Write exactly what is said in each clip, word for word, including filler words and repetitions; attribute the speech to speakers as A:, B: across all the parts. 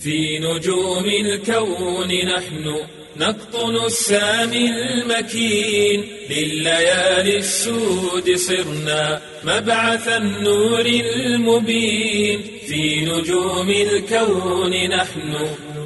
A: في نجوم الكون نحن نقطن السامي المكين لليالي السود صرنا مبعث النور المبين في نجوم الكون نحن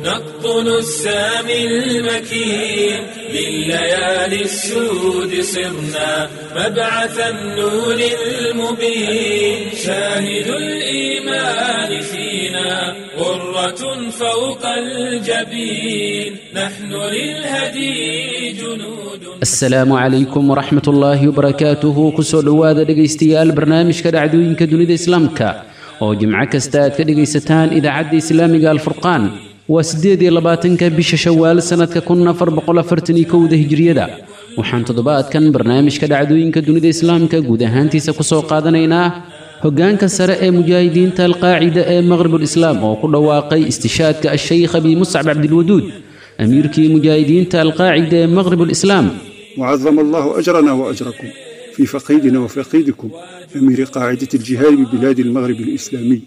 A: نقطن السامي المكين لليالي السود صرنا مبعث النور المبين شاهد الإيمان فينا غرة فوق الجبين نحن للهدي جنود.
B: Asalaamu calaykum waraxmatullaahi wabarakaatuhu. Kusoo dhowaada dhegaystayaal barnaamijka dhacdooyinka dunida islaamka oo jimco kasta aad ka dhegaysataan idaacadda islaamiga Alfurqaan. Waa siddeed iyo labaatanka bisha Shawaal sanadka kun afar boqol afartan iyo kowda hijriyada. Waxaan toddobaadkan barnaamijka dhacdooyinka dunida islaamka guud ahaantiisa kusoo qaadanaynaa hoggaanka sare ee mujaahidiinta Alqaacida ee Maqribul Islaam oo ku dhawaaqay istishaadka Ashaykh Abi Muscab Cabdilwaduud, amiirkii mujaahidiinta Alqaacida ee Maqribul Islaam.
C: وعظم الله أجرنا وأجركم في فقيدنا وفقيدكم أمير قاعدة الجهاد ببلاد المغرب الإسلامي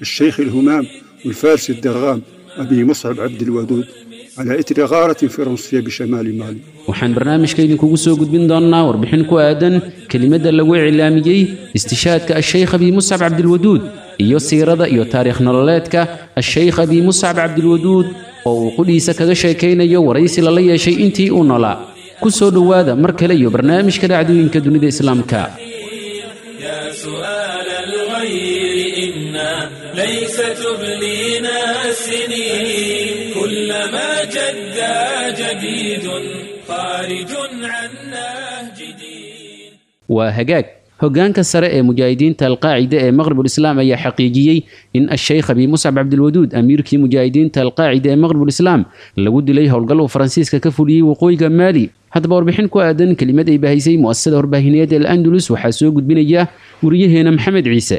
C: الشيخ الهمام والفارس الدرغام أبي مصعب عبد الودود على إثر غارة فرنسية بشمال مالي.
B: Waxaan barnaamijka idinkugu soo gudbin doonnaa warbixin ku aadan kelimadda lagu iclaamiyey istishaadka Ashaykh Abi Muscab Cabdilwaduud iyo siirada iyo taariikh nololeedka Ashaykh Abi Muscab Cabdilwaduud oo uu qudhiisa kaga sheekaynayo waraysi lala yeeshay intii uu noolaa. Ku soo dhowaada mar kale iyo barnaamijka dhacdooyinka dunida islaamka.
A: يا سؤال الغير إنا ليس تبلينا السنين كلما جد جديد خارج عن نهج دين.
B: Waa hagaag. Hoggaanka sare ee mujaahidiinta Alqaacida ee Maqribul Islaam ayaa xaqiijiyey in Ashaykh Abi Muscab Cabdilwaduud, amiirkii mujaahidiinta Alqaacida ee Maqribul Islaam, lagu dilay howlgal uu Faransiiska ka fuliyey waqooyiga Maali. Haddaba warbixin ku aadan kelimad ay bahaysay mu'asasada warbaahineed El Andalus waxaa soo gudbinaya wariyaheena Maxamed Ciise.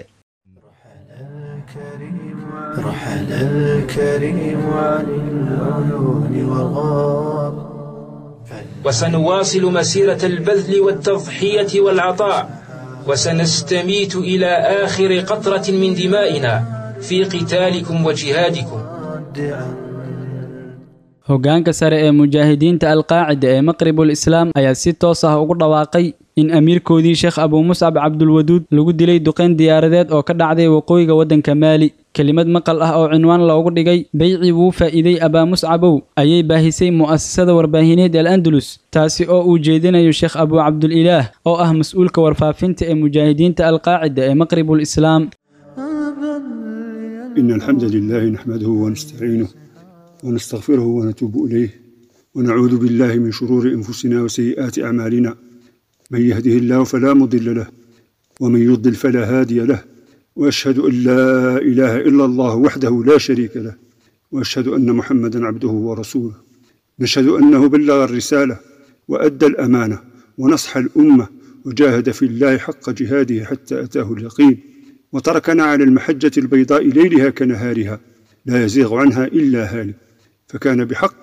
D: رحل الكريم عن العيون وغاب.
E: وسنواصل مسيرة البذل والتضحية والعطاء، وسنستميت إلى آخر قطرة من دمائنا في قتالكم وجهادكم.
F: Hoggaanka sare ee mujaahidiinta Alqaacida ee Maqribul Islaam ayaa si toos ah ugu dhawaaqay in amiirkoodii Sheekh Abuu Muscab Cabdulwaduud lagu dilay duqeyn diyaaradeed oo ka dhacday waqooyiga waddanka Maali. Kelimad maqal ah oo cinwaan loogu dhigay "Beyci wuu faa'iiday Abaa Muscabow" ayay baahisay mu'asasada warbaahineed El Andalus, taasi oo uu jeedinayo Sheekh Abuu Cabdulilaah oo ah mas-uulka warfaafinta ee mujaahidiinta Alqaacida ee Maqribul Islaam.
C: إن الحمد لله نحمده ونستعينه ونستغفره ونتوب إليه ونعوذ بالله من شرور أنفسنا وسيئات أعمالنا، من يهده الله فلا مضل له ومن يضلل فلا هادي له، وأشهد أن لا إله إلا الله وحده لا شريك له، وأشهد أن محمدا عبده ورسوله. نشهد أنه بلغ الرسالة وأدى الأمانة ونصح الأمة وجاهد في الله حق جهاده حتى أتاه اليقين، وتركنا على المحجة البيضاء ليلها كنهارها لا يزيغ عنها إلا هالك، فكان بحق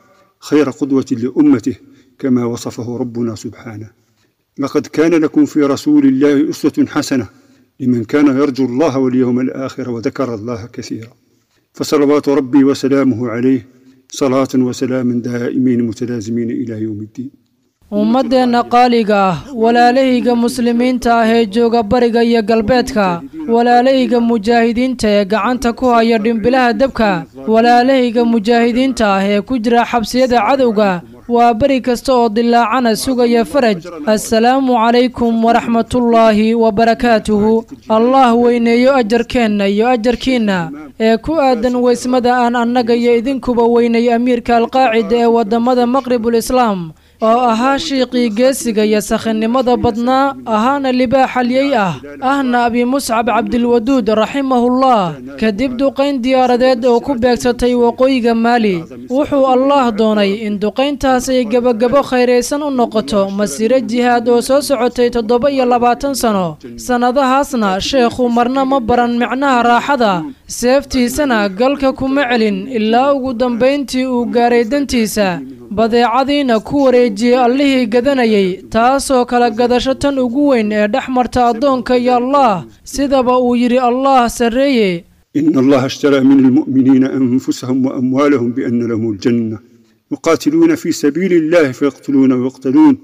C: خير قدوة لأمته كما وصفه ربنا سبحانه: لقد كان لكم في رسول الله أسوة حسنة لمن كان يرجو الله واليوم الآخر وذكر الله كثيرا. فصلوات ربي وسلامه عليه صلاة وسلام دائمين متلازمين إلى يوم الدين.
G: Ummadeenna qaaliga ah, walaalahayga muslimiinta ah ee jooga bariga iyo galbeedka, walaalahayga mujaahidiinta ee gacanta ku haya dhimbilaha dabka, walaalahayga mujaahidiinta ah ee ku jira xabsiyada cadowga, waa beri kasta oo dilaacana sugaya faraj, assalaamu calaykum waraxmatullaahi wabarakaatuhu. Allah weyneeyo ajarkeenna iyo ajarkiinna ee ku aadan weysmada aan annaga iyo idinkuba weynay amiirka Alqaacida ee waddamada Maqribul Islaam oo ahaa shiiqii geesiga iyo sakhinimada badnaa, ahaana libaax halyey ah, ahna Abi Muscab Cabdilwaduud raximahullah. Kadib duqayn diyaaradeed oo ku beegsatay waqooyiga Maali, wuxuu Allaah doonay in duqayntaas ay gebagabo khayraysan u noqoto masiiro jihaad oo soo socotay toddoba iyo labaatan sano. Sannadahaasna sheekhu marna ma baran micnaha raaxada, seeftiisana galka kuma celin ilaa ugu dambayntii uu gaaray dantiisa, badeecadiina ku wareejiyey allihii gadanayay, taasoo kala gadasho tan ugu weyn ee dhex marta addoonka iyo Allaah, sidaba uu yidhi Allaah sarreeye:
C: إن الله اشترى من المؤمنين أنفسهم وأموالهم بأن لهم الجنة يقاتلون في سبيل الله فيقتلون ويقتلون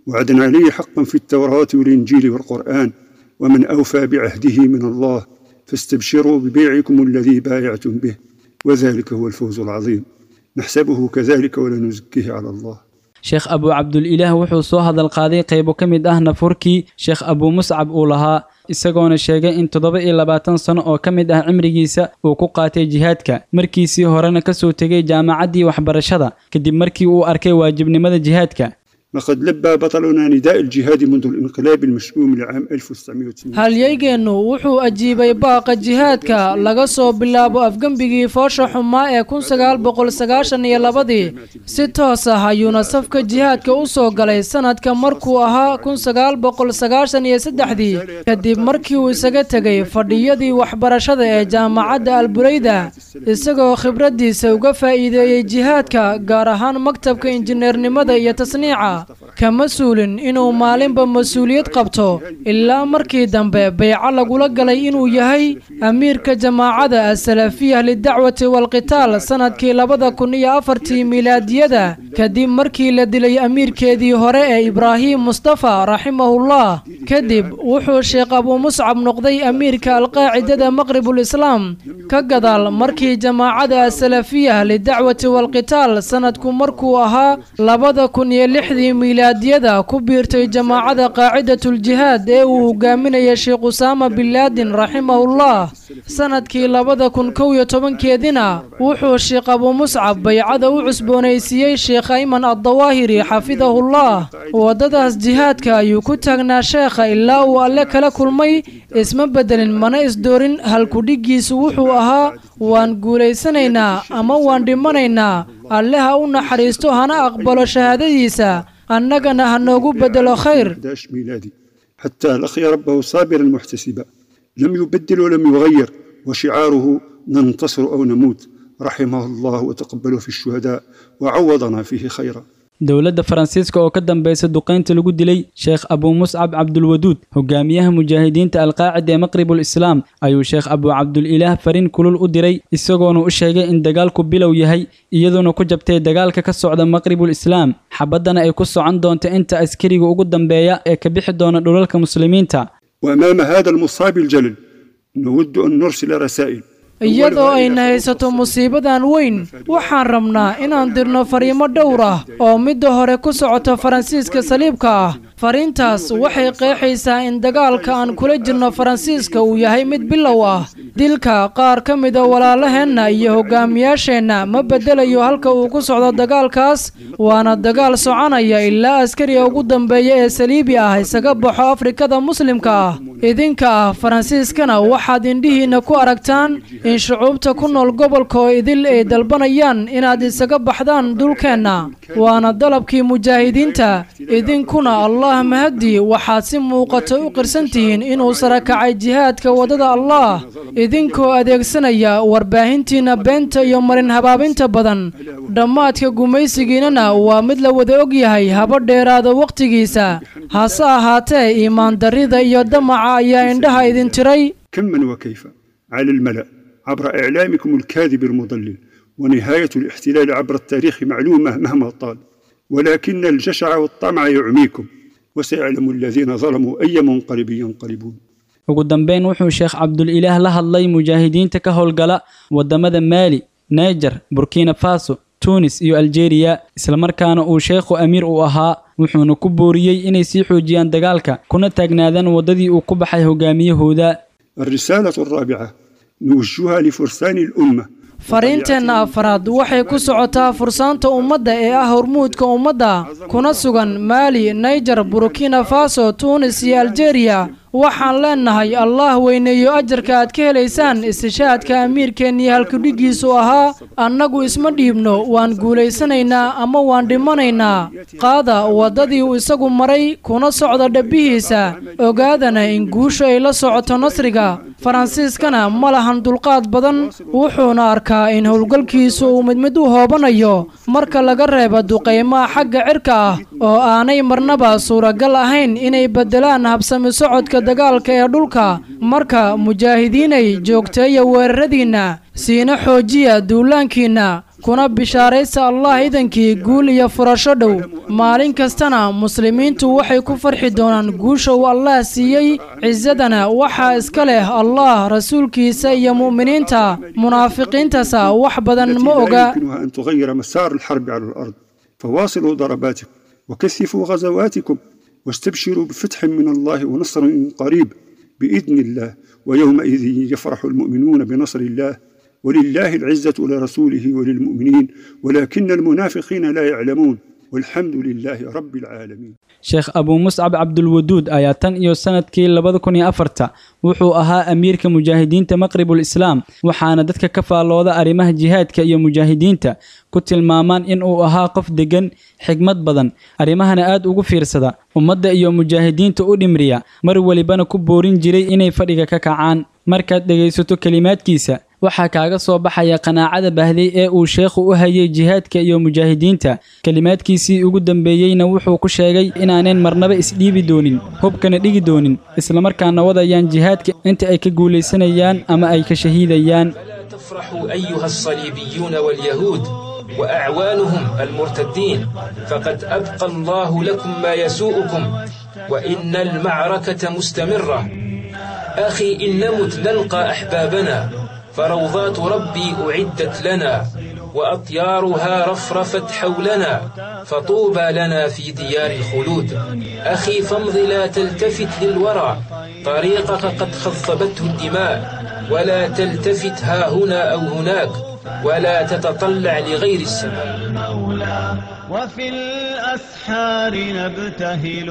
C: وعدا عليه حقا في التوراة والإنجيل والقرآن ومن أوفى بعهده من الله فاستبشروا ببيعكم الذي بايعتم به وذلك هو الفوز العظيم نحسبه كذلك ولا نزكيه على الله.
F: Sheekh Abuu Cabdulilaah wuxuu soo hadal qaaday qaybo ka mid ah nafurkii Sheekh Abuu Muscab uu lahaa, isagoona sheegay in toddoba iyo labaatan sano oo ka mid ah cimrigiisa uu ku qaatay jihaadka, markiisii horena ka soo tegay jaamacaddii waxbarashada kadib markii uu arkay waajibnimada jihaadka.
C: لقد لبى بطلنا نداء الجهاد منذ الانقلاب المشؤوم لعام ألف وتسعمئة وتسعين.
G: Halyaygeenu wuxuu ajiibay baaqa jihaadka laga soo bilaabo afgembigii foosha xumaa ee kun sagaal boqol sagaashan iyo labadii. Si toos ah ayuuna safka jihaadka u soo galay sanadka markuu ahaa kun sagaal boqol sagaashan iyo saddexdii, kadib markii uu isaga tegay fadhiyadii waxbarashada ee jaamacadda Albureyda, isagoo khibraddiisa uga faa'iideeyey jihaadka, gaar ahaan maktabka injineernimada iyo tasniica. Kama suulin inuu maalinba mas-uuliyad qabto ilaa markii dambe bayco lagula galay inuu yahay amiirka jamaacada Asalafiya lidacwati walqitaal sanadkii labada kun iyo afartii miilaadiyada, kadib markii la dilay amiirkeedii hore ee Ibraahim Mustafa raximahullah. Kadib wuxuu Sheekh Abuu Muscab noqday amiirka Alqaacidada Maqribul Islaam ka gadaal markii jamaacada Asalafiya lidacwati walqitaal sanadku markuu ahaa labada kun iyo lixdii miilaadiyada ku biirtay jamaacada Qaacidatul Jihaad ee uu hogaaminaya Sheekh Usaama bin Laden raximahullah. Sanadkii labada kun kow iyo tobankeedina wuxuu Sheekh Abuu Muscab baycada u cusboonaysiiyey Sheekh Ayman Addawaahiri xafidahullah. Waddadaas jihaadka ayuu ku taagnaa sheekha ilaa uu Alle kala kulmay, isma bedelin mana isdoorin. Halkudhiggiisu wuxuu ahaa waan guulaysanaynaa ama waan dhimanaynaa. Alle ha u naxariisto hana aqbalo shahaadadiisa, annagana ha noogu bedelo khayr.
C: إحدى عشر ميلادي حتى لقي ربه صابرا محتسبا لم يبدل ولم يغير، وشعاره ننتصر أو نموت. رحمه الله وتقبله في الشهداء وعوضنا فيه خيرا.
F: Dowladda Faransiiska oo ka dambaysa duqeynta lagu dilay Sheekh Abuu Muscab Cabdulwaduud, hogaamiyaha mujaahidiinta Alqaacida ee Maqribul Islaam, ayuu Sheekh Abuu Cabdulilaah fariin kulul u diray, isagoona u sheegay in dagaalku bilow yahay, iyadoona ku jabtay dagaalka ka socda Maqribul Islaam, xabaddana ay ku socon doonto inta askariga ugu dambeeya ee ka bixi doona dhulalka muslimiinta.
C: وأمام هذا المصاب الجلل نود أن نرسل رسائل.
G: Iyadoo ayna haysato musiibadan weyn, waxaan rabnaa inaan dirno fariimo dhowr ah oo midda hore ku socoto Faransiiska saliibka ah. Fariintaas waxay qeexaysaa in dagaalka aan kula jirno Faransiiska uu yahay mid bilow ah. Dilka qaar ka mida walaalaheenna iyo hogaamiyaasheenna ma bedelayo halka uu ku socdo dagaalkaas, waana dagaal soconaya ilaa askariga ugu dambeeya ee saliibi ah isaga baxo Afrikada muslimka ah. Idinka ah Faransiiskana waxaad indhihiinna ku aragtaan in shucuubta ku nool gobolka oo idil ay dalbanayaan inaad isaga baxdaan dhulkeenna, waana dalabkii mujaahidiinta. Idinkuna Allah mahadi waxaad si muuqata u qirsan tihiin inuu sarakacay jihaadka waddada Allah, idinkoo adeegsanaya warbaahintiina beenta iyo marin habaabinta badan. Dhammaadka gumaysigiinana waa mid la wada og yahay, haba dheeraada wakhtigiisa. Hase ahaatee iimaan darrida iyo damaca ayaa indhaha idin tiray.
C: كما وكيف على الملأ عبر إعلامكم الكاذب المضلل، ونهاية الاحتلال عبر التاريخ معلومة مهما طال، ولكن الجشع والطمع يعميكم، وسيعلم الذين ظلموا أي منقلب ينقلبون.
F: Ugu dambeyn wuxuu Sheekh Cabdulilaah la hadlay mujaahidiinta ka howlgala wadamada Maali, Niger, Burkina Faso, Tunis iyo Algeria, islamarkaana uu sheekhu amiir u ahaa, wuxuuna ku booriyey inay sii xoojiyaan dagaalka kuna taagnaadaan waddadii uu ku baxay hogaamiyahooda.
C: الرسالة الرابعة نوجهها لفرسان الأمة.
G: Fariinteenna afraad waxay ku socotaa fursaanta ummadda ee ah hormuudka ummadda, kuna sugan Maali, Niger, Burkina Faso, Tunis iyo Algeria. Waxaan leenahay Allah weyneeyo ajarka aad ka helaysaan istishaadka amiirkeennii halkudhiggiisu ahaa annagu isma dhiibno, waan guulaysanaynaa ama waan dhimanaynaa. Qaada waddadii uu isagu maray kuna socda dhabbihiisa, ogaadana in guushu ay la socoto nasriga. Faransiiskana ma lahan dulqaad badan, wuxuuna arkaa in howlgalkiisu uu mid mid u hoobanayo marka laga reebo duqeymaha xagga cirka ah oo aanay marnaba suuragal ahayn inay beddelaan habsami socodka gaadiidka dagaalka ee dhulka. Marka mujaahidiinay joogteeya weeraradiinna, siina xoojiya duulaankiinna, kuna bishaaraysa Allah idankii guul iyo furasho dhow. Maalin kastana muslimiintu waxay ku farxi doonaan guusha uu Allah siiyey. Cisadana waxaa iska leh Allah, rasuulkiisa iyo mu'miniinta. Munaafiqiintasa wax badan
C: التي
G: ma
C: لا
G: oga.
C: يمكنها أن تغير مسار الحرب على الأرض. فواصلوا ضرباتكم وكثفوا غزواتكم واستبشروا بفتح من الله ونصر قريب بإذن الله، ويومئذ يفرح المؤمنون بنصر الله، ولله العزة ولرسوله وللمؤمنين ولكن المنافقين لا يعلمون، والحمد لله رب العالمين.
F: Sheekh Abuu Muscab Cabdulwaduud ayaa tan iyo sanadkii labada kun iyo afarta wuxuu ahaa amiirka mujaahidiinta Maqribul Islaam, waxaana dadka ka faallooda arrimaha jihaadka iyo mujaahidiinta ku tilmaamaan in uu ahaa qof deggan, xigmad badan, arrimahana aad ugu fiirsada, ummadda iyo mujaahidiinta u dhimriya, mar walibana ku boorin jiray inay fadhiga ka kacaan. Markaad dhegaysato kelimaadkiisa, waxaa kaaga soo baxaya qanaacada bahday ee uu sheekhu u hayay jihaadka iyo mujaahidiinta. Kelimaadkiisii ugu dambeeyeyna wuxuu ku sheegay inaanan marnaba isdhiibi doonin, hubkana dhigi doonin, islamarkaana wadayaan jihaadka inta ay ka guulaysanayaan ama ay ka shahiidayaan.
E: فلا تفرحوا أيها الصليبيون واليهود وأعوانهم المرتدين، فقد أبقى الله لكم ما يسوءكم، وإن المعركة مستمرة. أخي إن نمت نلقى أحبابنا، فروضات ربي أعدت لنا، وأطيارها رفرفت حولنا، فطوبى لنا في ديار الخلود. أخي فامض لا تلتفت للورى، طريقك قد خضبته الدماء، ولا تلتفت ها هنا أو هناك، ولا تتطلع لغير السماء.
D: المولى وفي الأسحار نبتهل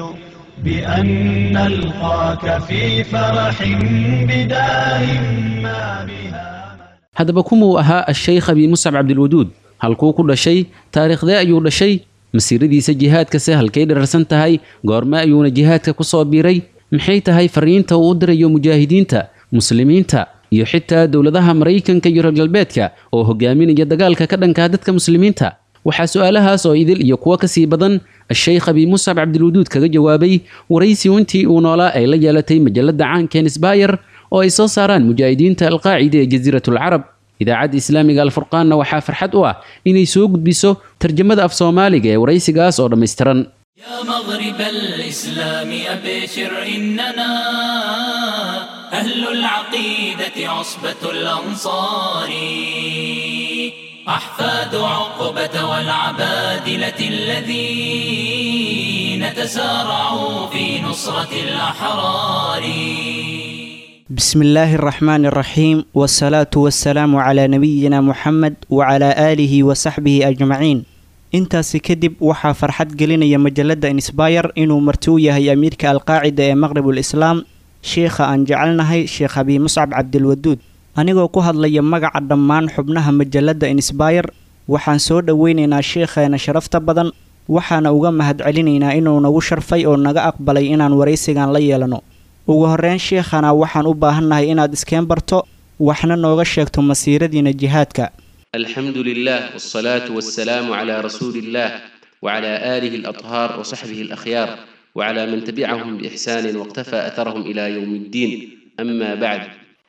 D: بأن نلقاك في فرح بدار ما بها.
B: Haddaba kumuu ahaa Asheykh Abi Muscab Cabdilwaduud? Halkuu ku dhashay? Taariikhdee ayuu dhashay? Masiiradiisa jihaadkase halkay dherarsan tahay? Goorme ayuuna jihaadka ku soo biiray? Maxay tahay fariinta uu u dirayo mujaahidiinta muslimiinta iyo xitaa dowladaha Maraykanka iyo reer galbeedka oo hogaaminaya dagaalka ka dhankaa dadka muslimiinta? Waxaa su-aalahaas oo idil iyo kuwo kasii badan Asheykh Abi Muscab Cabdilwaduud kaga jawaabay waraysi intii uu noolaa ay la yeelatay majalada caanka Insbayar oo ay soo saaraan mujaahidiinta Alqaacida ee Jasiiratul Carab. Idaacadda Islaamiga Alfurqaanna waxaa farxad u ah inay soo gudbiso tarjamada af Soomaaliga ee waraysigaas oo dhammaystiran.
A: يا مغرب الإسلام أبشر، إننا أهل العقيدة عصبة الأنصار، أحفاد عقبة والعبادلة الذين تسارعوا في نصرة الأحرار.
H: بسم الله الرحمن الرحيم، والصلاة والسلام على نبينا محمد وعلى آله وصحبه أجمعين. Intaasi kadib, waxaa farxad gelinaya majalada Insbayar inuu marti u yahay amiirka Alqaacida ee Maqribul Islaam, sheikha aan jecelnahay, Sheekh Abi Muscab Cabdilwaduud. Anigoo ku hadlaya magaca dhammaan xubnaha majalada Insbayar, waxaan soo dhoweynaynaa sheikheena sharafta badan, waxaana uga mahadcelinaynaa inuu nagu sharfay oo naga aqbalay inaan waraysigan la yeelano. Ugu horreyn, sheekhana, waxaan u baahannahay inaad iskeen barto, waxna nooga sheegto masiiradiina jihaadka.
B: الحمد لله، والصلاة والسلام على رسول الله وعلى آله الأطهار وصحبه الأخيار وعلى من تبعهم بإحسان واقتفى أثرهم إلى يوم الدين، أما بعد.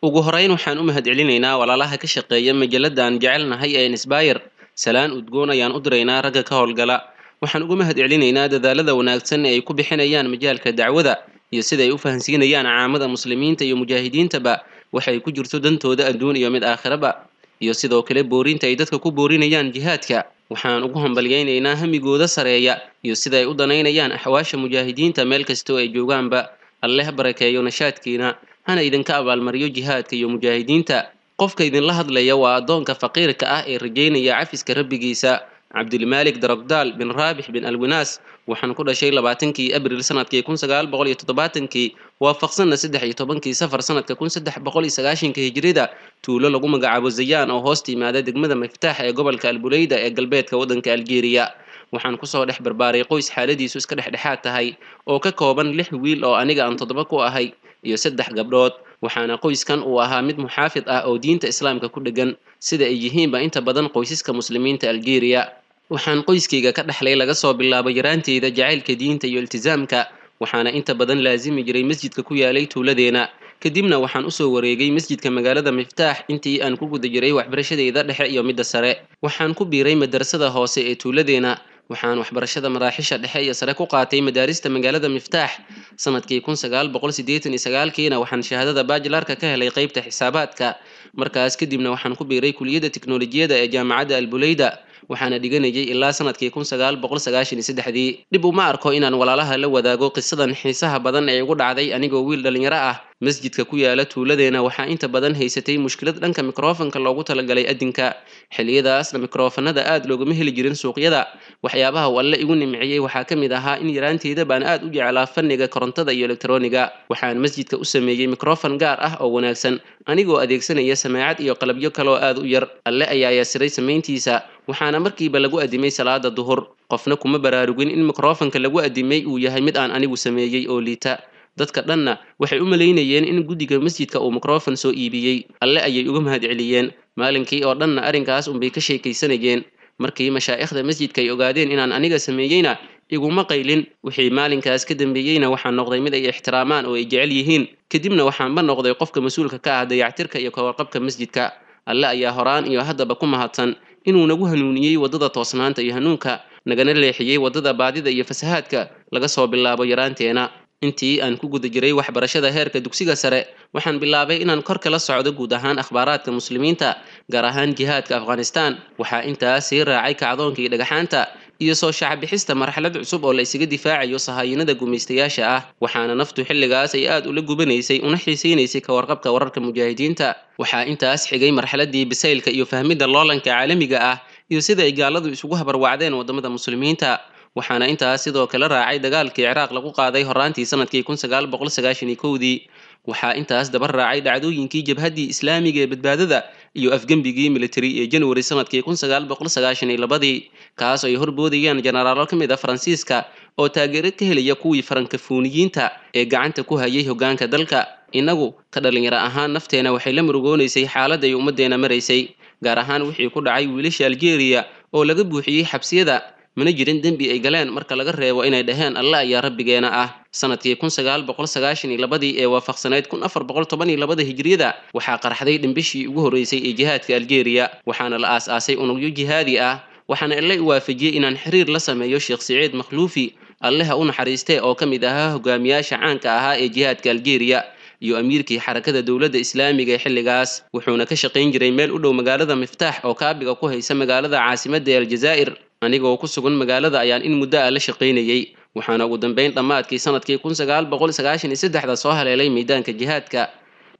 B: Ugu horeyn, waxaan u mahadcelinaynaa walaalaha ka shaqeeya majalada aan jecelnahay ee Insbayr. Salaan udgoon ayaan u diraynaa ragga ka howlgala. Waxaan ugu mahadcelinaynaa dadaalada wanaagsan ee ay ku bixinayaan majaalka dacwada iyo sida ay u fahansiinayaan caamada muslimiinta iyo mujaahidiintaba waxay ku jirto dantooda adduun iyo mid aakhiraba, iyo sidoo kale boorinta ay dadka ku boorinayaan jihaadka. Waxaan ugu hambalyaynaynaa hamigooda sareeya iyo sida ay u danaynayaan axwaasha mujaahidiinta meel kastoo ay joogaanba. Alleh ha barakeeyo nashaadkiina, hana idinka abaalmariyo jihaadka iyo mujaahidiinta. Qofka idinla hadlaya waa addoonka faqiirka ah ee rajaynaya cafiska Rabbigiisa, Cabdilmaalik Darogdaal bin Raabix bin Alwinaas. Waxaan ku dhashay labaatankii Abril sanadkii kun sagaal boqol iyo toddobaatankii, waafaqsanna saddex iyo tobankii Safar sanadka kun saddex boqol iyo sagaashanka Hijrida, tuulo lagu magacaabo Zayaan oo hoos timaada degmada Miftaax ee gobolka Albuleyda ee galbeedka waddanka Algeria. Waxaan kusoo dhex barbaaray qoys xaaladiisu iska dhexdhexaad tahay oo ka kooban lix wiil oo aniga aan toddoba ku ahay iyo saddex gabdhood. Waxaana qoyskan uu ahaa mid muxaafid ah oo diinta Islaamka ku dheggan, sida ay yihiinba inta badan qoysaska muslimiinta Algeria. Waxaan qoyskayga ka dhexlay laga soo bilaabo yaraanteyda jacaylka diinta iyo iltisaamka.
I: Waxaana inta badan laasimi jiray masjidka ku yaalay tuuladeena. Kadibna waxaan usoo wareegay masjidka magaalada Miftaax intii aan ku guda jiray waxbarashadeyda dhexe iyo midda sare. Waxaan ku biiray madrasada hoose ee tuuladeena. Waxaan waxbarashada maraaxisha dhexe iyo sare ku qaatay madaarista magaalada Miftaax. Sanadkii kun sagaal boqol siddeetan iyo sagaalkiina waxaan shahaadada baajilaarka ka helay qaybta xisaabaadka. Markaas kadibna waxaan ku biiray kuliyadda tiknoolajiyada ee jaamacadda Albuleyda, waxaana dhiganayay ilaa sanadkii kun sagaal boqol sagaashan iyo saddexdii. Dhib uma arko inaan walaalaha la wadaago qisadan xiisaha badan ee igu dhacday anigoo wiil dhalinyaro ah. Masjidka ku yaala tuuladeena waxaa inta badan haysatay mushkilad dhanka mikrofanka loogu talagalay adinka. Xilliyadaasna mikrofanada aad loogama heli jirin suuqyada. Waxyaabaha uu Alle igu nimciyey waxaa ka mid ahaa in yaraanteyda baan aad u jeclaa fanniga korontada iyo elektarooniga. Waxaan masjidka u sameeyey mikrofan gaar ah oo wanaagsan, anigoo adeegsanaya samaacad iyo qalabyo kaloo aad u yar. Alle ayaa yasiray samayntiisa, waxaana markiiba lagu adimay salaada duhur. Qofna kuma baraarugin in mikrofanka lagu adimay uu yahay mid aan anigu sameeyey oo liita. Dadka dhanna waxay u malaynayeen in guddiga masjidka uu mikrofon soo iibiyey. Alle ayay uga mahadceliyeen. Maalinkii oo dhanna arrinkaas unbay ka sheekaysanayeen. Markii mashaa'ikhda masjidka ay ogaadeen inaan aniga sameeyeyna iguma qaylin. Wixii maalinkaas ka dambeeyeyna waxaan noqday mid ay ixtiraamaan oo ay jecel yihiin. Kadibna waxaanba noqday qofka mas-uulka ka ah dayactirka iyo kawarqabka masjidka. Alle ayaa horaan iyo haddaba ku mahadsan inuu nagu hanuuniyey waddada toosnaanta iyo hanuunka, nagana leexiyey waddada baadida iyo fasahaadka laga soo bilaabo yaraanteena. Intii aan ku guda jiray waxbarashada heerka dugsiga sare, waxaan bilaabay inaan kor kala socdo guud ahaan akhbaaraadka muslimiinta, gaar ahaan jihaadka Afghanistan. Waxaa intaas sii raacay kacdoonkii dhagaxaanta iyo soo shacbixista marxalad cusub oo la isaga difaacayo sahaayinada gumaystayaasha ah. Waxaana naftu xilligaas ay aad ula gubanaysay una xiisaynaysay ka warqabka wararka mujaahidiinta. Waxaa intaas xigay marxaladii bisaylka iyo fahmidda loolanka caalamiga ah iyo sida ay gaaladu isugu habarwacdeen waddamada muslimiinta. Waxaana intaas sidoo kale raacay dagaalkii Ciraaq lagu qaaday horaantii sanadkii kun sagaal boqol sagaashan iyo kowdii. Waxaa intaas daba raacay dhacdooyinkii jabhaddii islaamiga ee badbaadada iyo afgembigii militari ee January sanadkii kun sagaal boqol sagaashan iyo labadii, kaas oo ay horboodayeen jenaraalo ka mid ah Faransiiska oo taageero ka helaya kuwii farankafooniyiinta ee gacanta ku hayay hoggaanka dalka. Innagu ka dhalinyaro ahaan nafteena waxay la murugoonaysay xaaladda ay ummaddeena maraysay, gaar ahaan wixii ku dhacay wiilasha Aljeeriya oo laga buuxiyey xabsiyada. Mana jirin dembi ay galeen marka laga reebo inay dhaheen Alle ayaa rabbigeena ah. Sanadkii kun sagaal boqol sagaashan iyo labadii ee waafaqsanayd kun afar boqol toban iyo labada hijriyada waxaa qarxday dhimbishii ugu horreysay ee jihaadka Aljeeriya, waxaana la aas-aasay unugyo jihaadi ah. Waxaana Alle i waafajiyey inaan xiriir la sameeyo Sheekh Siciid Makhluufi, Alle ha u naxariistee, oo ka mid ahaa hogaamiyaasha caanka ahaa ee jihaadka Aljeeriya iyo amiirkii xarakada dowladda islaamiga ee xilligaas. Wuxuuna ka shaqayn jiray meel u dhow magaalada Miftaax oo kaabiga ku haysa magaalada caasimadda ee Aljazaa'ir. Anigoo ku sugan magaalada ayaan in muddo ah la shaqaynayay, waxaana ugu dambeyn dhammaadkii sanadkii kun sagaal boqol sagaashan iyo saddexda soo haleelay miidaanka jihaadka.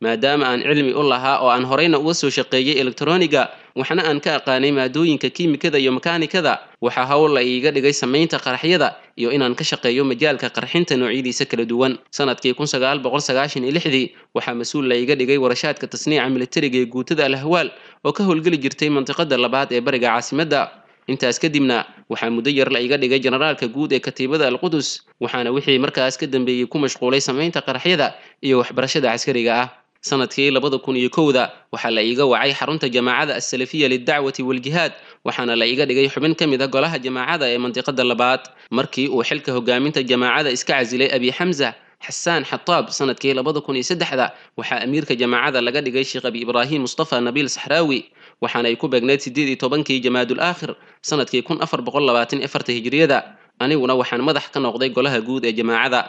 I: Maadaama aan cilmi u lahaa oo aan horeyna uga soo shaqeeyey elektarooniga, waxna aan ka aqaanay maadooyinka kiimikada iyo makaanikada, waxaa hawl la iiga dhigay samaynta qaraxyada iyo inaan ka shaqeeyo majaalka qarxinta noocyadiisa kala duwan. Sanadkii kun sagaal boqol sagaashan iyo lixdii waxaa mas-uul la iiga dhigay warashaadka tasniica militariga ee guutada Al-Ahwaal oo ka howlgeli jirtay mantiqada labaad ee bariga caasimadda. Intaas kadibna waxaa muddo yar la iga dhigay generaalka guud ee katiibada Al-Qudus, waxaana wixii markaas ka dambeeyey ku mashquulay samaynta qaraxyada iyo waxbarashada caskariga ah. Sanadkii labada kun iyo kowda waxaa la iiga wacay xarunta jamaacada Assalafiya lidacwati waljihaad, waxaana la iga dhigay xubin ka mid a golaha jamaacada ee mantiqada labaad. Markii uu xilka hogaaminta jamaacada iska casilay Abi Xamza Xasaan Xataab sanadkii labada kun iyo saddexda, waxaa amiirka jamaacada laga dhigay Sheekh Abi Ibraahim Mustafa Nabiil Saxraawi, waxaana ay ku beegneyd siddeed iyo tobankii Jamaadul Aakhir sanadkii kun afar boqol labaatan iyo afarta hijriyada. Aniguna waxaan madax ka noqday golaha guud ee jamaacada.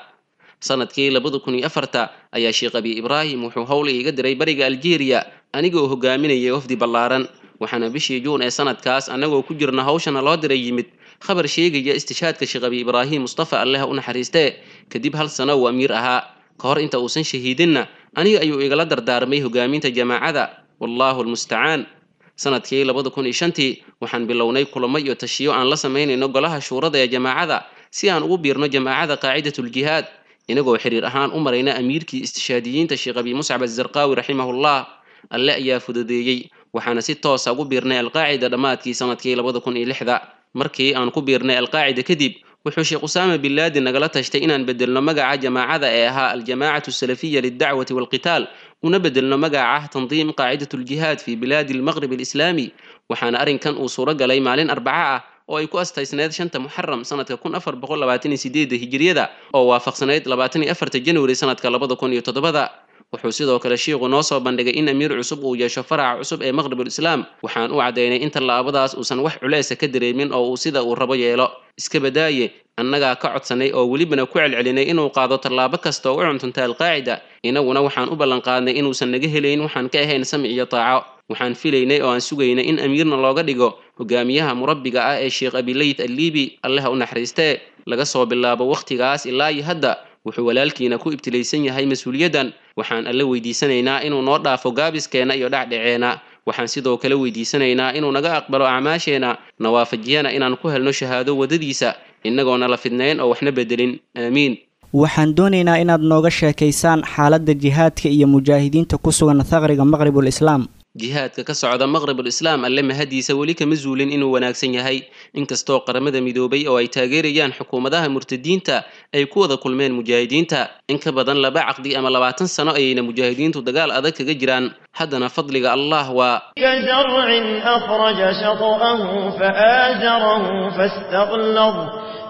I: Sanadkii labada kun iyo afarta ayaa Sheekh Abi Ibraahim wuxuu howl iiga diray bariga Aljeeriya anigoo hogaaminayay wafdi ballaaran. Waxaana bishii Juun ee sanadkaas annagoo ku jirna hawshana loo diray yimid khabar sheegaya istishaadka Sheekh Abi Ibraahim Mustafa, Alle ha u naxariistee, kadib hal sano uu amiir ahaa. Ka hor inta uusan shahiidinna aniga ayuu igala dardaarmay hogaaminta jamaacada, wallaahu almustacaan. Sanadkii labada kun iyo shantii waxaan bilownay kulamo iyo tashiyo aan la samaynayno golaha shuurada ee jamaacada si aan ugu biirno jamaacada qaacidatuljihaad, inagoo xiriir ahaan u marayna amiirkii istishaadiyiinta Sheekh Abi Muscab Azarqaawi raximahullah. Alle ayaa fududeeyey, waxaana si toosa ugu biirnay Alqaacida dhammaadkii sanadkii labada kun iyo lixda. Markii aan ku biirnay Alqaacida kadib, wuxuu Sheekh Usaama bin Laadin nagala tashtay inaan bedelno magaca jamaacada ee ahaa Aljamaacatu Asalafiya lidacwati walqitaal, una bedelno magaca Tandiim Qaacidatuljihaad fi bilaadi almaqrib alislaami. Waxaana arrinkan uu suuro galay maalin arbaca ah oo ay ku astaysneed shanta Muxaram sanadka kun afar boqol labaatan iyo sideedda hijriyada oo waafaqsanayd labaatan iyo afarta January sanadka labada kun iyo toddobada. Wuxuu sidoo kale shiiqu noo soo bandhigay in amiir cusub uu yeesho faraca cusub ee Maqribul Islaam. Waxaan u caddaynay in tallaabadaas uusan wax culeesa ka dareemin oo uu sida uu rabo yeelo. Iska badaaye, annagaa ka codsanay oo welibana ku celcelinay inuu qaado tallaabo kasta oo u cuntunta Alqaacida. Inaguna waxaan u ballanqaadnay inuusan naga helayn waxaan ka ahayn samic iyo taaco. Waxaan filaynay oo aan sugaynay in amiirna looga dhigo hogaamiyaha murabbiga ah ee Sheekh Abileyth Alliibi, Alle ha u naxariistee. Laga soo bilaabo wakhtigaas ilaa iyo hadda wuxuu walaalkiina ku ibtilaysan yahay mas-uuliyaddan. Waxaan Alle weydiisanaynaa inuu noo dhaafo gaabiskeenna iyo dhacdhaceena. Waxaan sidoo kale weydiisanaynaa inuu naga aqbalo acmaasheena, na waafajiyana inaan ku helno shahaado waddadiisa, innagoona la fidnayn oo waxna bedelin. Aamiin.
H: Waxaan doonaynaa inaad nooga sheekaysaan xaaladda jihaadka iyo mujaahidiinta ku sugan thaqriga Maqribul Islaam.
I: Jihaadka ka socda Maqribul Islaam Alle mahadiisa weli kama zuulin inuu wanaagsan yahay, inkastoo Qaramada Midoobay oo ay taageerayaan xukuumadaha murtadiinta ay ku wada kulmeen mujaahidiinta. In ka badan laba caqdi ama labaatan sano ayayna mujaahidiintu dagaal adag kaga jiraan. Haddana fadliga Allah waa
D: كزرع أخرج شطأه فآزره فاستغلظ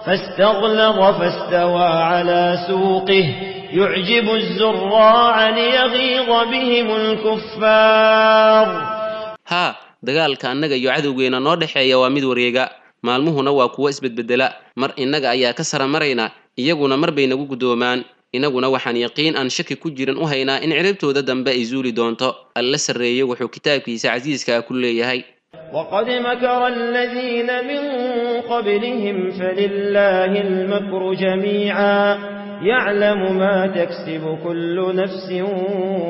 D: فاستغلظ فاستوى على سوقه يعجب الزراع ليغيظ بهم الكفار.
I: Haa, dagaalka annaga iyo cadowgeena noo dhexeeya waa mid wareega, maalmuhuna waa kuwo isbedbedela. Mar innaga ayaa ka sara marayna, iyaguna mar bay nagu guddoomaan. Inaguna waxaan yaqiin aan shaki ku jirin u haynaa in ciribtooda dambe ay zuuli doonto. Alla sarreeye wuxuu kitaabkiisa casiiska ah ku leeyahay:
D: وقد مكر الذين من قبلهم فلله المكر جميعا يعلم ما تكسب كل نفس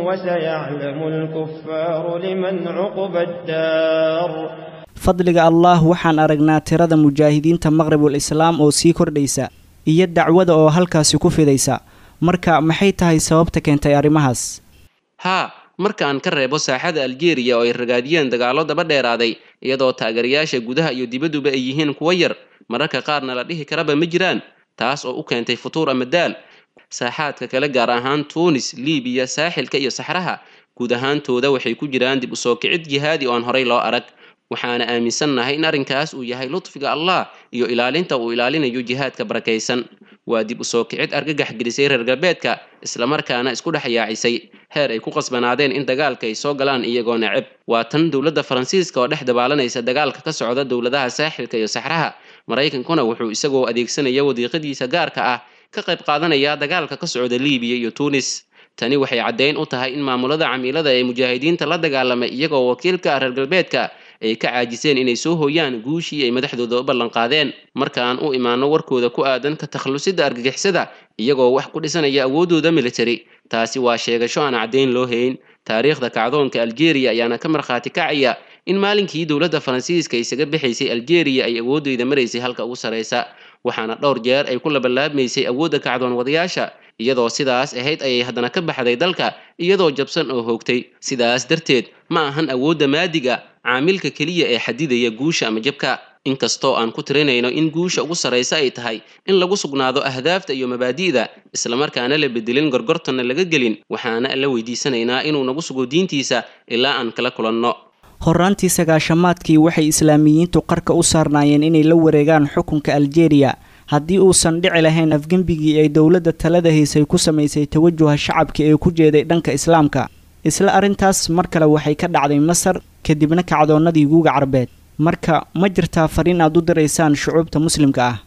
D: وسيعلم الكفار لمن عقبى الدار.
H: Fadliga Allah, waxaan aragnaa tirada mujaahidiinta Maqribul Islaam oo sii kordhaysa iyo dacwada oo halkaasi ku fidaysa. Marka maxay tahay sababta keentay arrimahaas?
I: Haa, marka aan ka reebo saaxada Aljeeriya oo ay ragaadiyeen dagaallo daba dheeraaday, iyadoo taageerayaasha gudaha iyo dibadduba ay yihiin kuwo yar, mararka qaarna la dhihi karaba ma jiraan, taas oo u keentay futuur ama daal, saaxaadka kale gaar ahaan Tuunis, Liibiya, saaxilka iyo saxraha guud ahaantooda waxay ku jiraan dib u soo kicid jihaadi oo aan horey loo arag. Waxaana aaminsannahay in arrinkaas uu yahay lutfiga Allah iyo ilaalinta uu ilaalinayo jihaadka barakaysan. Waa dib u soo kicid argagax gelisay reer galbeedka, islamarkaana isku dhex yaacisay heer ay ku qasbanaadeen in dagaalka ay soo galaan iyagoo neceb. Waa tan dowladda Faransiiska oo dhex dabaalanaysa dagaalka ka socda dowladaha saaxilka iyo saxraha. Maraykankuna wuxuu isagoo adeegsanaya wadiiqadiisa gaarka ah ka qayb qaadanaya dagaalka ka socda Liibiya iyo Tuunis. Tani waxay caddayn u tahay in maamulada camiilada ee mujaahidiinta la dagaalamay iyagoo wakiilka ah reer galbeedka ay ka caajiseen inay soo hooyaan guushii ay madaxdooda u ballanqaadeen. Markaan u imaano warkooda ku aadan ka takhalusida argagixisada iyagoo wax ku dhisanaya awooddooda military, taasi waa sheegasho aan caddayn loo hayn. Taariikhda kacdoonka Aljeeriya ayaana ka markhaati kacaya in maalinkii dowladda Faransiiska isaga bixaysay Aljeeriya ay awoodeyda maraysay halka ugu sarreysa, waxaana dhowr jeer ay ku labalaabmaysay awoodda kacdoon wadayaasha. Iyadoo sidaas ahayd ayay haddana ka baxday dalka iyadoo jabsan oo hoogtay. Sidaas darteed ma ahan awoodda maadiga caamilka keliya ee xadidaya guusha ama jabka, inkastoo aan ku tirinayno in guusha ugu sarraysa ay tahay in lagu sugnaado ahdaafta iyo mabaadi'da, islamarkaana la bedelin, gorgortanna laga gelin. Waxaana alla weydiisanaynaa inuu nagu sugo diintiisa ilaa aan kala kulanno.
H: Horraantii sagaashamaadkii waxay islaamiyiintu qarka u saarnaayeen inay la wareegaan xukunka Aljeeriya haddii uusan dhici lahayn afgembigii ay dowladda talada haysay ku samaysay tawajuha shacabka ee ku jeeday dhanka islaamka. Isla arrintaas mar kale waxay ka dhacday Masar, kadibna kacdoonnadii guuga Carbeed. Marka ma jirtaa fariin aad u diraysaan shucuubta muslimka ah?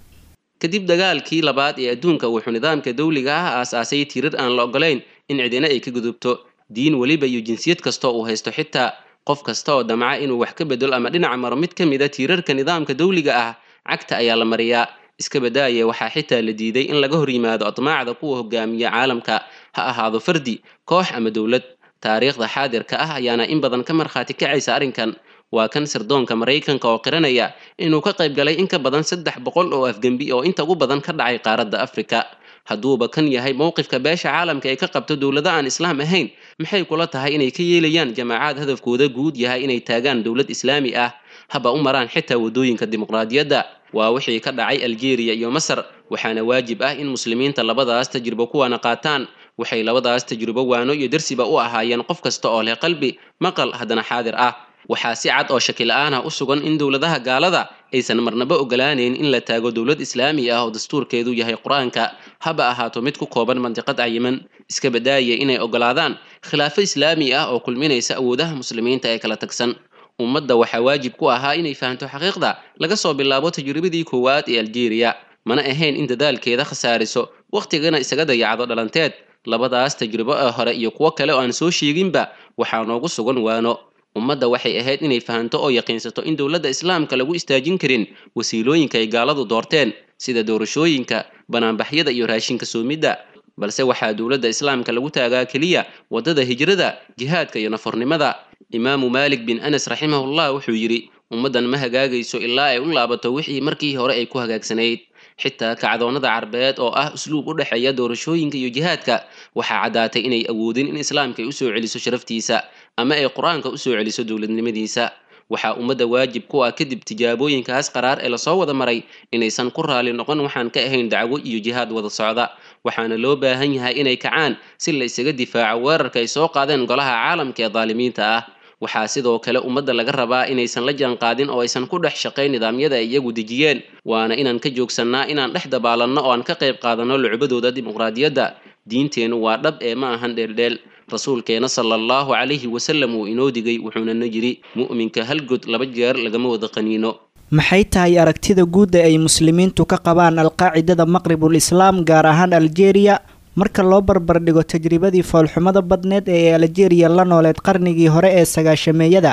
I: Kadib dagaalkii labaad ee adduunka, wuxuu nidaamka dawliga ah aasaasay tiirar aan la ogolayn in cidina ay ka gudubto, diin weliba iyo jinsiyad kasta uu haysto. Xitaa qof kasta oo damca inuu wax ka bedelo ama dhinaca maro mid ka mid a tiirarka nidaamka dawliga ah, cagta ayaa la mariyaa. Iska badaaye, waxaa xitaa la diiday in laga hor yimaado atmaacda kuwa hogaamiya caalamka, ha ahaado fardi, koox ama dowlad. Taariikhda xaadirka ah ayaana in badan ka markhaati kacaysa arrinkan. Waa kan sirdoonka Maraykanka oo qiranaya inuu ka qayb galay in ka badan saddex boqol oo afgembi oo inta ugu badan ka dhacay qaaradda Afrika. Hadduuba kan yahay mowqifka beesha caalamka ay ka qabto dowlado aan islaam ahayn, maxay kula tahay inay ka yeelayaan jamaacaad hadafkooda guud yahay inay taagaan dowlad islaami ah, haba u maraan xitaa waddooyinka dimuqraadiyadda? Waa wixii ka dhacay Aljeeriya iyo Masar, waxaana waajib ah in muslimiinta labadaas tajribo kuwaana qaataan. Waxay labadaas tajribo waano iyo darsiba u ahaayeen qof kasta oo leh qalbi maqal haddana xaadir ah. Waxaa si cad oo shaki la'aan ah u sugan in dowladaha gaalada aysan marnaba ogolaanayn in la taago dowlad islaami ah oo dastuurkeedu yahay Qur-aanka, haba ahaato mid ku kooban mandiqad cayiman, iska badaaya inay ogolaadaan khilaafo islaami ah oo kulminaysa awoodaha muslimiinta ee kala tagsan. Ummadda waxaa waajib ku ahaa inay fahanto xaqiiqda laga soo bilaabo tajribadii koowaad ee Aljeeriya, mana ahayn in dadaalkeeda khasaariso wakhtigana isaga dayacdo dhalanteed. Labadaas tajribo ee hore iyo kuwo kale oo aan soo sheeginba waxaa noogu sugan waano. Ummadda waxay ahayd inay fahanto oo yaqiinsato in dowladda islaamka lagu istaajin karin wasiilooyinka ay gaaladu doorteen, sida doorashooyinka, banaanbaxyada iyo raashinka soomidda, balse waxaa dowladda islaamka lagu taagaa keliya waddada hijrada, jihaadka iyo nafornimada. Imaamu Maalik bin Anas raximahullah wuxuu yidhi: ummaddan ma hagaagayso ilaa ay u laabato wixii markii hore ay ku hagaagsanayd. Xitaa kacdoonnada carbeed oo ah usluub u dhexeeya doorashooyinka iyo jihaadka, waxaa caddaatay inay awoodin in islaamka ay usoo celiso sharaftiisa ama ay Qur-aanka usoo celiso dowladnimadiisa. Waxaa ummadda waajib ku ah kadib tijaabooyinkaas qaraar ee lasoo wada maray inaysan ku raali noqon waxaan ka ahayn dacwo iyo jihaad wada socda, waxaana loo baahan yahay inay kacaan si la isaga difaaco weerarka ay soo qaadeen golaha caalamka ee daalimiinta ah. Waxaa sidoo kale ummadda laga rabaa inaysan la jaanqaadin oo aysan ku dhex shaqayn nidaamyada ay iyagu dejiyeen, waana inaan ka joogsannaa inaan dhex dabaalanno oo aan ka qayb qaadanno lucbadooda dimuqraadiyadda. Diinteennu waa dhab ee ma ahan dheeldheel. Rasuulkeena sala allahu calayhi wasallam wuu inoo digay, wuxuuna na yidhi: mu'minka hal god laba jeer lagama wada qaniino.
H: Maxay tahay aragtida guud ee ay muslimiintu ka qabaan alqaacidada Maqribul Islaam, gaar ahaan Aljeeriya, marka loo barbardhigo tajribadii foolxumada badneed ee Aljeeriya la nooleed qarnigii hore ee sagaashameeyada,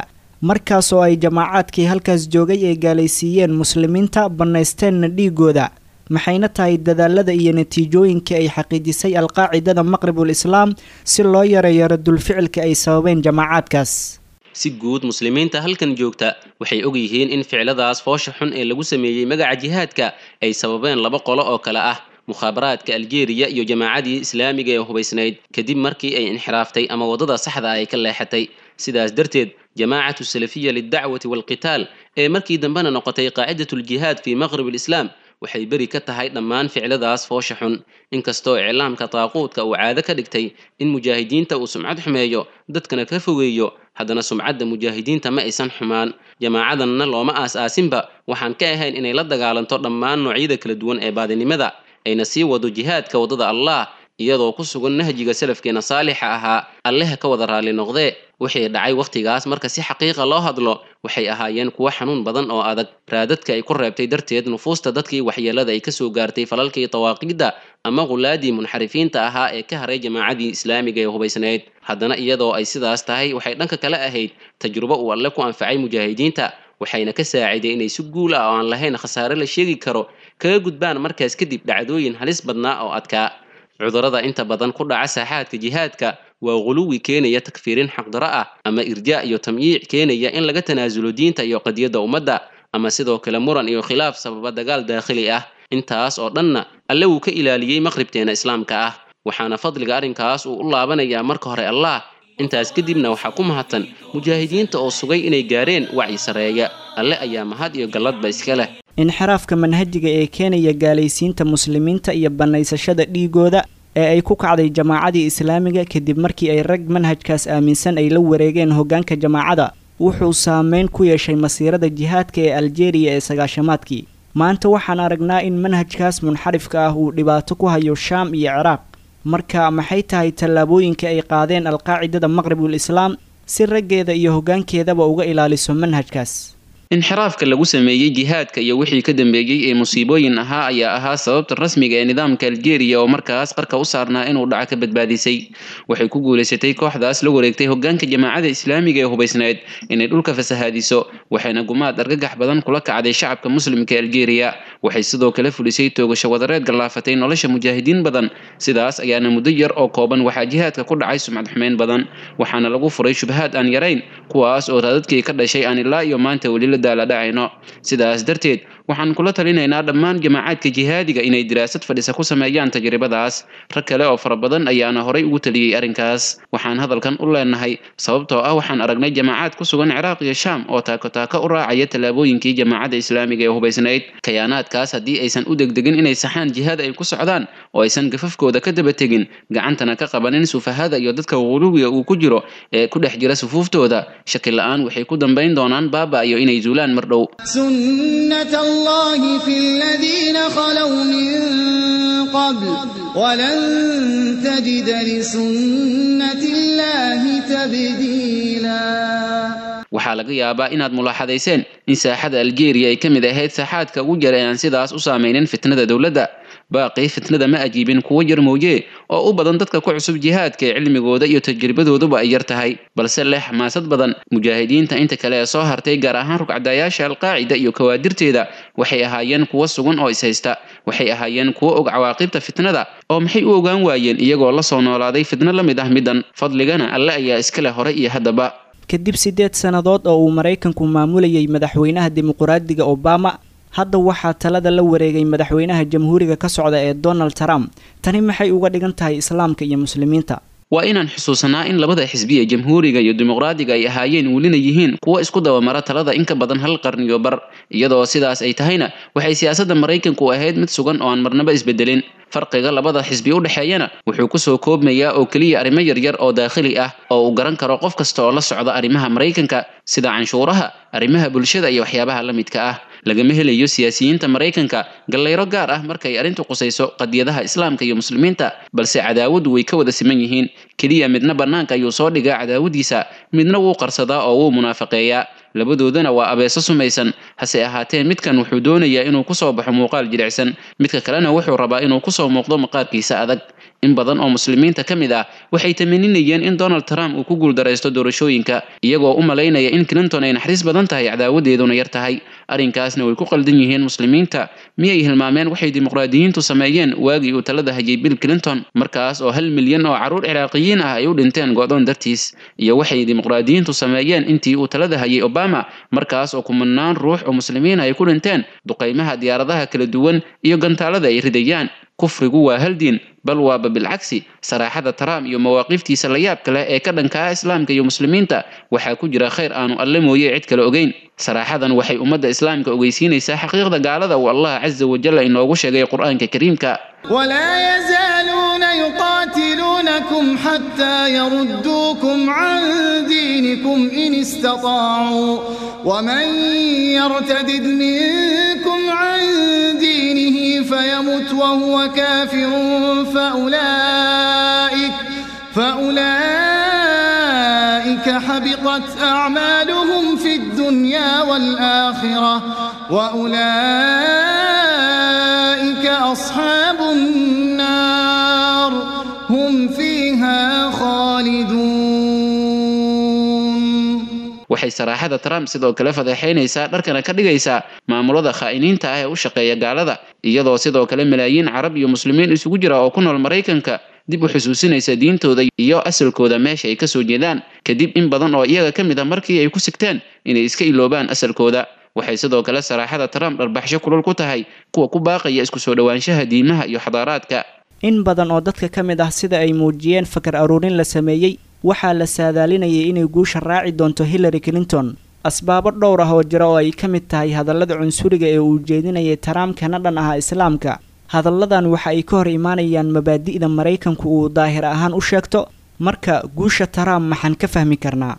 H: markaas oo ay jamaacaadkii halkaas joogay ay gaalaysiiyeen muslimiinta, bannaysteenna dhiigooda? Maxayna tahay dadaalada iyo natiijooyinka ay xaqiijisay alqaacidada Maqribul Islaam si loo yareeyo radulficilka ay sababeen jamaacaadkaas?
I: Si guud, muslimiinta halkan joogta waxay og yihiin in ficiladaas foosha xun ee lagu sameeyey magaca jihaadka ay sababeen laba qolo oo kale ah: mukhaabaraadka Aljeeriya iyo jamaacadii islaamiga ee hubaysnayd, kadib markii ay inxiraaftay ama waddada saxda ay ka leexatay. Sidaas darteed, jamaacatu salafiya lidacwati waalqitaal ee markii dambena noqotay qaacidatu ljihaad fii maqrib alislaam waxay beri ka tahay dhammaan ficiladaas foosha xun, inkastoo iclaamka taaquudka uu caado ka dhigtay in mujaahidiinta uu sumcad xumeeyo, dadkana ka fogeeyo, haddana sumcadda mujaahidiinta ma aysan xumaan. Jamaacadanna looma aas-aasinba waxaan ka ahayn inay la dagaalanto dhammaan noocyada kala duwan ee baadinimada, ayna sii wado jihaadka waddada Allah iyadoo ku sugan nahjiga salafkeena saalixa ahaa, Alleha ka wada raalli noqdee. Wixii dhacay wakhtigaas, marka si xaqiiqa loo hadlo, waxay ahaayeen kuwo xanuun badan oo adag, raadadka ay ku reebtay darteed nufuusta dadkii waxyeelada ay kasoo gaartay falalkii tawaaqiidda ama qulaadii munxarifiinta ahaa ee ka haray jamaacadii islaamiga ee hubaysnayd. Haddana iyadoo ay sidaas tahay, waxay dhanka kale ahayd tajrubo uu Alle ku anfacay mujaahidiinta, waxayna ka saaciday inay si guul ah oo aan lahayn khasaare la sheegi karo kaga gudbaan markaas kadib dhacdooyin halis badnaa oo adkaa. Cudurrada inta badan ku dhaca saaxaadka jihaadka waa guluwi keenaya takfiirin xaqdaro ah, ama irjaa iyo tamyiic keenaya in laga tanaasulo diinta iyo qadiyadda ummadda, ama sidoo kale muran iyo khilaaf sababa dagaal daakhili ah. Intaas oo dhanna Alle wuu ka ilaaliyey maqribteena islaamka ah, waxaana fadliga arrinkaas uu u laabanayaa marka hore Allah, intaas kadibna waxaa ku mahadsan mujaahidiinta oo sugay inay gaareen wacyi sareeya. Alle ayaa mahad iyo galladba iska leh.
H: Inxiraafka manhajiga ee keenaya gaalaysiinta muslimiinta iyo bannaysashada dhiigooda ee ay ku kacday jamaacadii islaamiga kadib markii ay rag manhajkaas aaminsan ay la wareegeen hoggaanka jamaacada, wuxuu saameyn ku yeeshay masiirada jihaadka ee Aljeeriya ee sagaashamaadkii. Maanta waxaan aragnaa in manhajkaas munxarifka ah uu dhibaato ku hayo Shaam iyo Ciraaq. Marka maxay tahay tallaabooyinka ay qaadeen alqaacidada Maqribul Islaam si raggeeda iyo hoggaankeedaba uga ilaaliso manhajkaas?
I: Inxiraafka lagu sameeyey jihaadka iyo wixii ka dambeeyey ee musiibooyin ahaa ayaa ahaa sababta rasmiga ee nidaamka Aljeeriya oo markaas qarka u saarnaa inuu dhaco ka badbaadisay. Waxay ku guulaysatay kooxdaas la wareegtay hoggaanka jamaacada islaamiga ee hubaysnayd inay dhulka fasahaadiso, waxayna gumaad argagax badan kula kacday shacabka muslimka ee Aljeeriya. Waxay sidoo kale fulisay toogasho wadareed gallaafatay nolosha mujaahidiin badan. Sidaas ayaana muddo yar oo kooban waxaa jihaadka ku dhacay sumcad xumeyn badan, waxaana lagu furay shubahaad aan yarayn, kuwaas oo raadadkii ka dhashay aan ilaa iyo maanta weli la daaladhacayno. Sidaas darteed, Waxaan kula talinaynaa dhammaan jamaacaadka jihaadiga inay diraasad fadhisa ku sameeyaan tajribadaas. Rag kale oo fara badan ayaana horay ugu taliyey arrinkaas. Waxaan hadalkan u leenahay sababtoo ah waxaan aragnay jamaacaad ku sugan Ciraaq iyo Shaam oo taako taako u raacaya tallaabooyinkii jamaacadda islaamiga ee hubaysnayd. Kayaanaadkaas haddii aysan u degdegin inay saxaan jihaad ay ku socdaan oo aysan gafafkooda ka daba tegin, gacantana ka qabanin sufahada iyo dadka guluwiga uu ku jiro ee ku dhex jira sufuuftooda, shaki la'aan waxay ku dambayn doonaan baaba iyo inay zuulaan mar dhow.
J: سنة الله في الذين خلوا من قبل ولن تجد لسنة الله تبديلا.
I: Waxaa laga yaabaa inaad mulaaxadayseen in saaxada Aljeeriya ay ka mid ahayd saaxaadka ugu jira ee aan sidaas u saamaynin fitnada dowladda. Baaqii fitnada ma ajiibin kuwo yar mooye oo u badan dadka ku cusub jihaadka ee cilmigooda iyo tajribadooduba ay yar tahay, balse leh xamaasad badan. Mujaahidiinta inta kale ee soo hartay, gaar ahaan rugcadayaasha Alqaacida iyo kawaadirteeda, waxay ahaayeen kuwo sugan oo ishaysta. Waxay ahaayeen kuwo og cawaaqibta fitnada, oo maxay u ogaan waayeen iyagoo la soo noolaaday fitno la mid ah middan? Fadligana Alle ayaa iska leh hore iyo haddaba.
H: Kadib siddeed sannadood oo uu Maraykanku maamulayay madaxweynaha dimuqraadiga Obama, hadda waxaa talada la wareegay madaxweynaha jamhuuriga ka socda ee Donald Trump. Tani maxay uga dhigan tahay islaamka iyo muslimiinta?
I: Waa inaan xusuusanaa in labada xisbi ee jamhuuriga iyo dimuqraadiga ay ahaayeen welina yihiin kuwo isku dabamara talada in ka badan hal qarniyo bar. Iyadoo sidaas ay tahayna, waxay siyaasadda Maraykanku ahayd mid sugan oo aan marnaba isbedelin. Farqiga labada xisbi u dhexeeyana wuxuu kusoo koobmayaa oo keliya arrimo yaryar oo daakhili ah oo uu garan karo qof kasta oo la socda arrimaha Maraykanka, sida canshuuraha, arrimaha bulshada iyo waxyaabaha la midka ah. Lagama helayo siyaasiyiinta Maraykanka gallayro gaar ah markay arrintu qusayso qadiyadaha islaamka iyo muslimiinta, balse cadaawaddu way ka wada siman yihiin. Keliya midna bannaanka ayuu soo dhigaa cadaawadiisa, midna wuu qarsadaa oo wuu munaafaqeeyaa. Labadoodana waa abeeso sumaysan. Hase ahaatee, midkan wuxuu doonayaa inuu kusoo baxo muuqaal jilicsan, midka kalena wuxuu rabaa inuu kusoo muuqdo maqaarkiisa adag. In badan oo muslimiinta ka mid ah waxay tamaninayeen in Donald Trump uu ku guuldaraysto doorashooyinka, iyagoo u malaynaya in Clinton ay naxariis badan tahay, cadaawadeeduna yar tahay. Arrinkaasna way ku qaldan yihiin muslimiinta. Miyay hilmaameen waxay dimuqraadiyiintu sameeyeen waagii uu talada hayay Bill Clinton, markaas oo hal milyan oo carruur Ciraaqiyiin ah ay u dhinteen go'doon dartiis, iyo waxay dimuqraadiyiintu sameeyeen intii uu talada hayay Obama, markaas oo kumanaan ruux oo muslimiin ay ku dhinteen duqaymaha diyaaradaha kala duwan iyo gantaalada ay ridayaan? Kufrigu waa hal diin, bal waaba bilcagsi. Saraaxada Trump iyo mawaaqiftiisa la yaabka leh ee ka dhanka ah islaamka iyo muslimiinta waxaa ku jira khayr aanu Alle mooye cid kale ogeyn. Saraaxadan waxay ummadda islaamka ogeysiinaysaa xaqiiqda gaalada uu Allah casa wajalla inoogu sheegay Qur-aanka kariimka.
J: ولا يزالون يقاتلونكم حتى يردوكم عن دينكم إن استطاعوا ومن يرتدد منكم عن دينه فيمت وهو كافر فأولئك فأولئك حبطت أعمالهم في الدنيا والآخرة وأولئك أصحاب النار هم فيها خالدون.
I: Waxay saraaxada Trump sidoo kale fadeexaynaysaa, dharkana ka dhigaysaa maamulada khaa'iniinta ah ee u shaqeeya gaalada, iyadoo sidoo kale malaayiin Carab iyo muslimiin isugu jira oo ku nool Maraykanka dib u xusuusinaysa diintooda iyo asalkooda, meesha ay kasoo jeedaan, kadib in badan oo iyaga ka mid a markii ay ku sigteen inay iska iloobaan asalkooda. Waxay sidoo kale saraaxada Trump dharbaxsho kulul ku tahay kuwa ku baaqaya isku soo dhowaanshaha diimaha iyo xadaaraadka.
H: In badan oo dadka ka mid ah, sida ay muujiyeen fakar aruurin la sameeyey, waxaa la saadaalinayay inay guusha raaci doonto Hillary Clinton, asbaabo dhowr ah oo jira oo ay ka mid tahay hadallada cunsuriga ee uu jeedinayay Trump kana dhan ahaa islaamka. Hadalladan waxa ay ka hor imaanayaan mabaadi'da Maraykanku uu daahir ahaan u sheegto. Marka guusha Trump maxaan ka fahmi karnaa?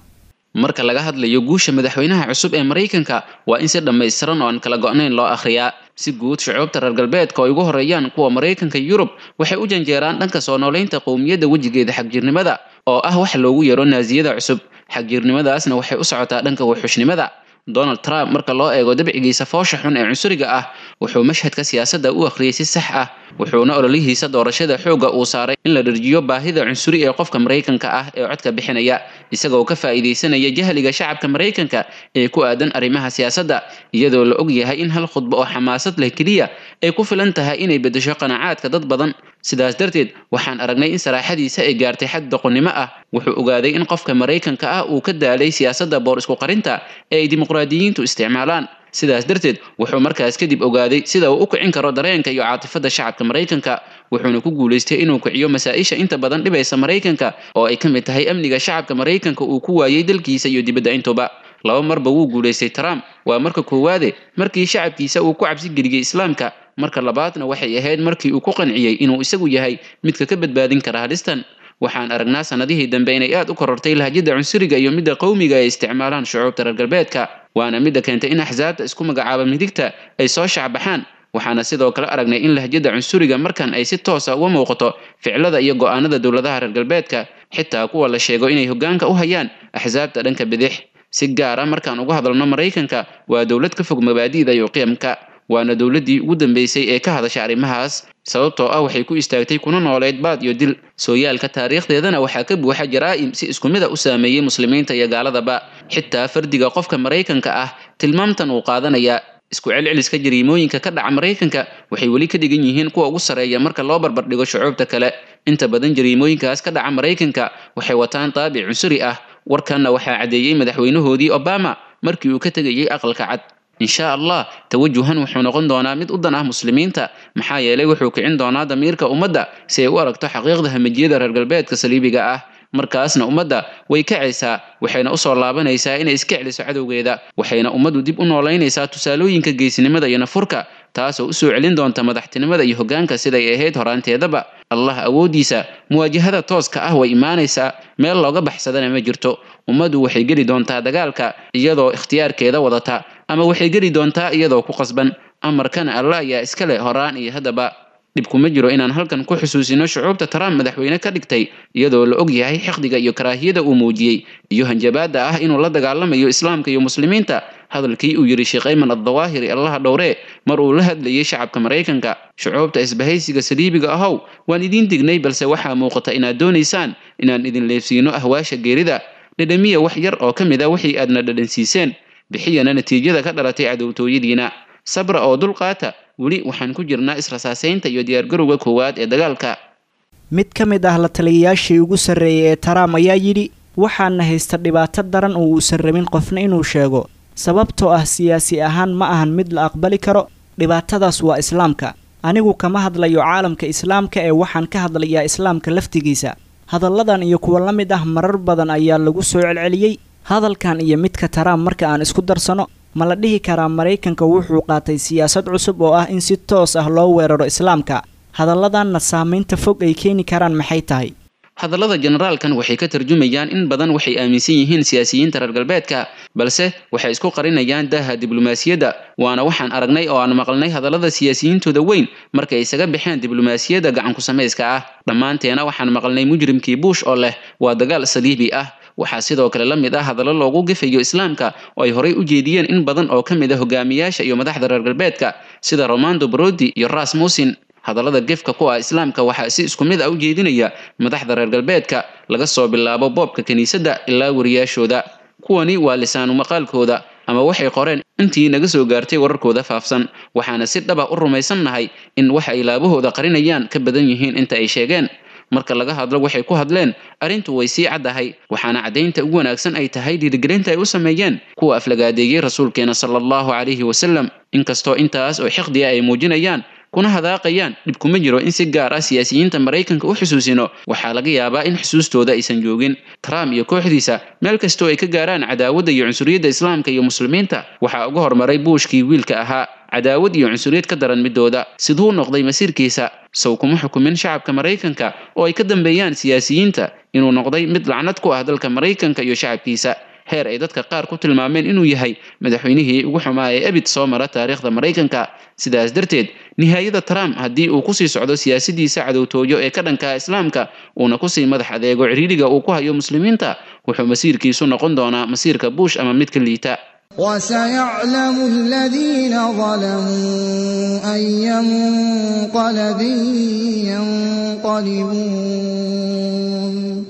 I: Marka laga hadlayo guusha madaxweynaha cusub ee Maraykanka, waa in si dhammaystiran oo aan kala go'nayn loo akhriyaa. Si guud, shucuubta reer galbeedka oo ay ugu horeeyaan kuwa Maraykanka, Yurub, waxay u janjeeraan dhanka soo noolaynta qowmiyadda wejigeeda xagjirnimada, oo ah wax loogu yeero naasiyada cusub. Xagjirnimadaasna waxay u socotaa dhanka wuxuushnimada. Donald Trump, marka loo eego dabcigiisa foosha xun ee cunsuriga ah, wuxuu mashhadka siyaasadda u akhriyay si sax ah, wuxuuna ololihiisa doorashada xoogga uu saaray in la dharjiyo baahida cunsuri ee qofka Maraykanka ah ee codka bixinaya, isagoo ka faa'iidaysanaya jahliga shacabka Maraykanka ee ku aadan arrimaha siyaasadda, iyadoo la og yahay in hal khudbo oo xamaasad leh keliya ay ku filan tahay inay beddesho qanacaadka dad badan. Sidaas darteed, waxaan aragnay in saraaxadiisa ay gaartay xad doqonnimo ah. Wuxuu ogaaday in qofka Maraykanka ah uu ka daalay siyaasadda boor isku qarinta ee ay dimuqraadiyiintu isticmaalaan. Sidaas darteed wuxuu markaas kadib ogaaday sida uu u kicin karo dareenka iyo caatifada shacabka Maraykanka, wuxuuna ku guulaystay inuu kiciyo masaa-isha inta badan dhibaysa Maraykanka oo ay ka mid tahay amniga shacabka Maraykanka uu ku waayey dalkiisa iyo dibadda intuba. Laba marba wuu guulaystay Trump. Waa marka koowaade markii shacabkiisa uu ku cabsi geliyey Islaamka, marka labaadna waxay ahayd markii uu ku qanciyey inuu isagu yahay midka ka badbaadin kara halistan. Waxaan aragnaa sanadihii dambe inay aad u korortay lahjada cunsuriga iyo midda qowmiga ay isticmaalaan shucuubta reer galbeedka, waana midda keentay in axsaabta isku magacaaba midigta ay soo shacbaxaan. Waxaana sidoo kale aragnay in lahjada cunsuriga markan ay si toosa uga muuqato ficilada iyo go'aanada dowladaha reer galbeedka, xitaa kuwa la sheego inay hoggaanka u hayaan axsaabta dhanka bidix. Si gaar ah markaan uga hadalno Maraykanka, waa dowlad ka fog mabaadi'da iyo qiyamka, waana dowladdii ugu dambeysay ee ka hadasha arrimahaas, sababtoo ah waxay ku istaagtay kuna nooleyd baad iyo dil. Sooyaalka taariikhdeedana waxaa ka buuxa jaraa'im si isku mid a u saameeyey muslimiinta iyo gaaladaba. Xitaa fardiga qofka Maraykanka ah tilmaamtan uu qaadanayaa. Isku celceliska jariimooyinka ka dhaca Maraykanka waxay weli ka dhigan yihiin kuwa ugu sarreeya marka loo barbardhigo shucuubta kale. Inta badan jariimooyinkaas ka dhaca Maraykanka waxay wataan taabic cunsuri ah. Warkanna waxaa caddeeyey madaxweynahoodii Obama markii uu ka tegayey Aqalka Cad. Insha Allah tawajuhan wuxuu noqon doonaa mid u dan ah muslimiinta, maxaa yeelay wuxuu kicin doonaa damiirka ummadda si ay u aragto xaqiiqda hamajiyada reer galbeedka saliibiga ah. Markaasna ummadda way kacaysaa, waxayna usoo laabanaysaa inay iska celiso cadowgeeda, waxayna ummaddu dib u noolaynaysaa tusaalooyinka geesinimada iyo nafurka, taasoo usoo celin doonta madaxtinimada iyo hoggaanka siday ahayd horaanteedaba. Allah awooddiisa muwaajahada tooska ah way imaanaysaa, meel looga baxsadana ma jirto. Ummaddu waxay geli doontaa dagaalka iyadoo ikhtiyaarkeeda wadata, ama waxay geli doontaa iyadoo ku qasban. Amarkana Alla ayaa iska leh horaan iyo haddaba. Dhib kuma jiro inaan halkan ku xusuusino shucuubta Trump madaxweyne ka dhigtay, iyadoo la og yahay xiqdiga iyo karaahiyada uu muujiyey iyo hanjabaadda ah inuu la dagaalamayo Islaamka iyo muslimiinta. Hadalkii uu yidhi Sheekh Ayman Addawaahiri, Allaha dhowree, mar uu la hadlayay shacabka Maraykanka: shucuubta isbahaysiga saliibiga ahow, waan idiin dignay, balse waxaa muuqata inaad doonaysaan inaan idin leefsiino ahwaasha geerida. Dhadhamiya wax yar oo ka mid a wixii aadna dhadhansiiseen, bixiyana natiijada ka dhalatay cadowtooyadiina. Sabra oo dulqaata, weli waxaan ku jirnaa israsaasaynta iyo diyaargarowga koowaad ee dagaalka.
H: Mid ka mid ah la taliyayaashii ugu sarreeyay ee Trump ayaa yidhi, waxaana haysta dhibaato daran oo uusan rabin qofna inuu sheego, sababtoo ah siyaasi ahaan ma ahan mid la aqbali karo. Dhibaatadaas waa Islaamka. Anigu kama hadlayo caalamka Islaamka ee waxaan ka hadlayaa Islaamka laftigiisa. Hadalladan iyo kuwa la mid ah marar badan ayaa lagu soo celceliyey. Hadalkan iyo midka Trump marka aan isku darsano, ma la dhihi karaa Maraykanka wuxuu qaatay siyaasad cusub oo ah in si toos ah loo weeraro Islaamka? Hadalladanna saamaynta fog ay keeni karaan maxay tahay?
I: Hadallada generaalkan waxay ka tarjumayaan in badan waxay aaminsan yihiin siyaasiyiinta reer galbeedka, balse waxay isku qarinayaan daaha diblomaasiyadda. Waana waxaan aragnay oo aan maqalnay hadallada siyaasiyiintooda weyn markay isaga baxeen diblomaasiyadda gacan ku samayska ah. Dhammaanteena waxaan maqalnay mujrimkii Bush oo leh waa dagaal saliibi ah. Waxaa sidoo kale la mid ah hadallo loogu gefayo Islaamka oo ay horay u jeediyeen in badan oo ka mid ah hogaamiyaasha iyo madaxda reer galbeedka, sida Romando Brodi iyo Rasmussen. Hadallada gefka ku ah Islaamka waxaa si isku mid ah u jeedinaya madaxda reer galbeedka, laga soo bilaabo boobka kiniisadda ilaa wariyaashooda. Kuwani waa lisaanu maqaalkooda ama waxay qoreen intii naga soo gaartay wararkooda faafsan, waxaana si dhaba u rumaysannahay in waxa ay laabahooda qarinayaan ka badan yihiin inta ay sheegeen. Marka laga hadlo waxay ku hadleen, arrintu way sii caddahay, waxaana caddaynta ugu wanaagsan ay tahay dhiirigelinta ay u sameeyeen kuwa aflagaadeeyey rasuulkeena sala allahu calayhi wasalam. Inkastoo intaas oo xiqdiya ay muujinayaan kuna hadaaqayaan, dhib kuma jiro in si gaar ah siyaasiyiinta Maraykanka u xusuusino. Waxaa laga yaabaa in xusuustooda aysan joogin. Trump iyo kooxdiisa meel kastoo ay ka gaaraan cadaawadda iyo cunsuriyadda Islaamka iyo muslimiinta waxaa uga hormaray Bushkii wiilka ahaa, cadaawad iyo cunsuriyad ka daran midooda. Siduu noqday masiirkiisa? Sow kuma xukumin shacabka Maraykanka oo ay ka dambeeyaan siyaasiyiinta inuu noqday mid lacnad ku ah dalka Maraykanka iyo shacabkiisa, heer ay dadka qaar ku tilmaameen inuu yahay madaxweynihii ugu xumaa ee abid soo mara taariikhda Maraykanka. Sidaas darteed nihaayada Trump haddii uu kusii socdo siyaasadiisa cadowtooyo ee ka dhanka Islaamka, uuna kusii madax adeego ciriiriga uu ku hayo muslimiinta, wuxuu masiirkiisu noqon doonaa masiirka Bush ama mid ka liita.
J: وسيعلم الذين ظلموا أي منقلب ينقلبون.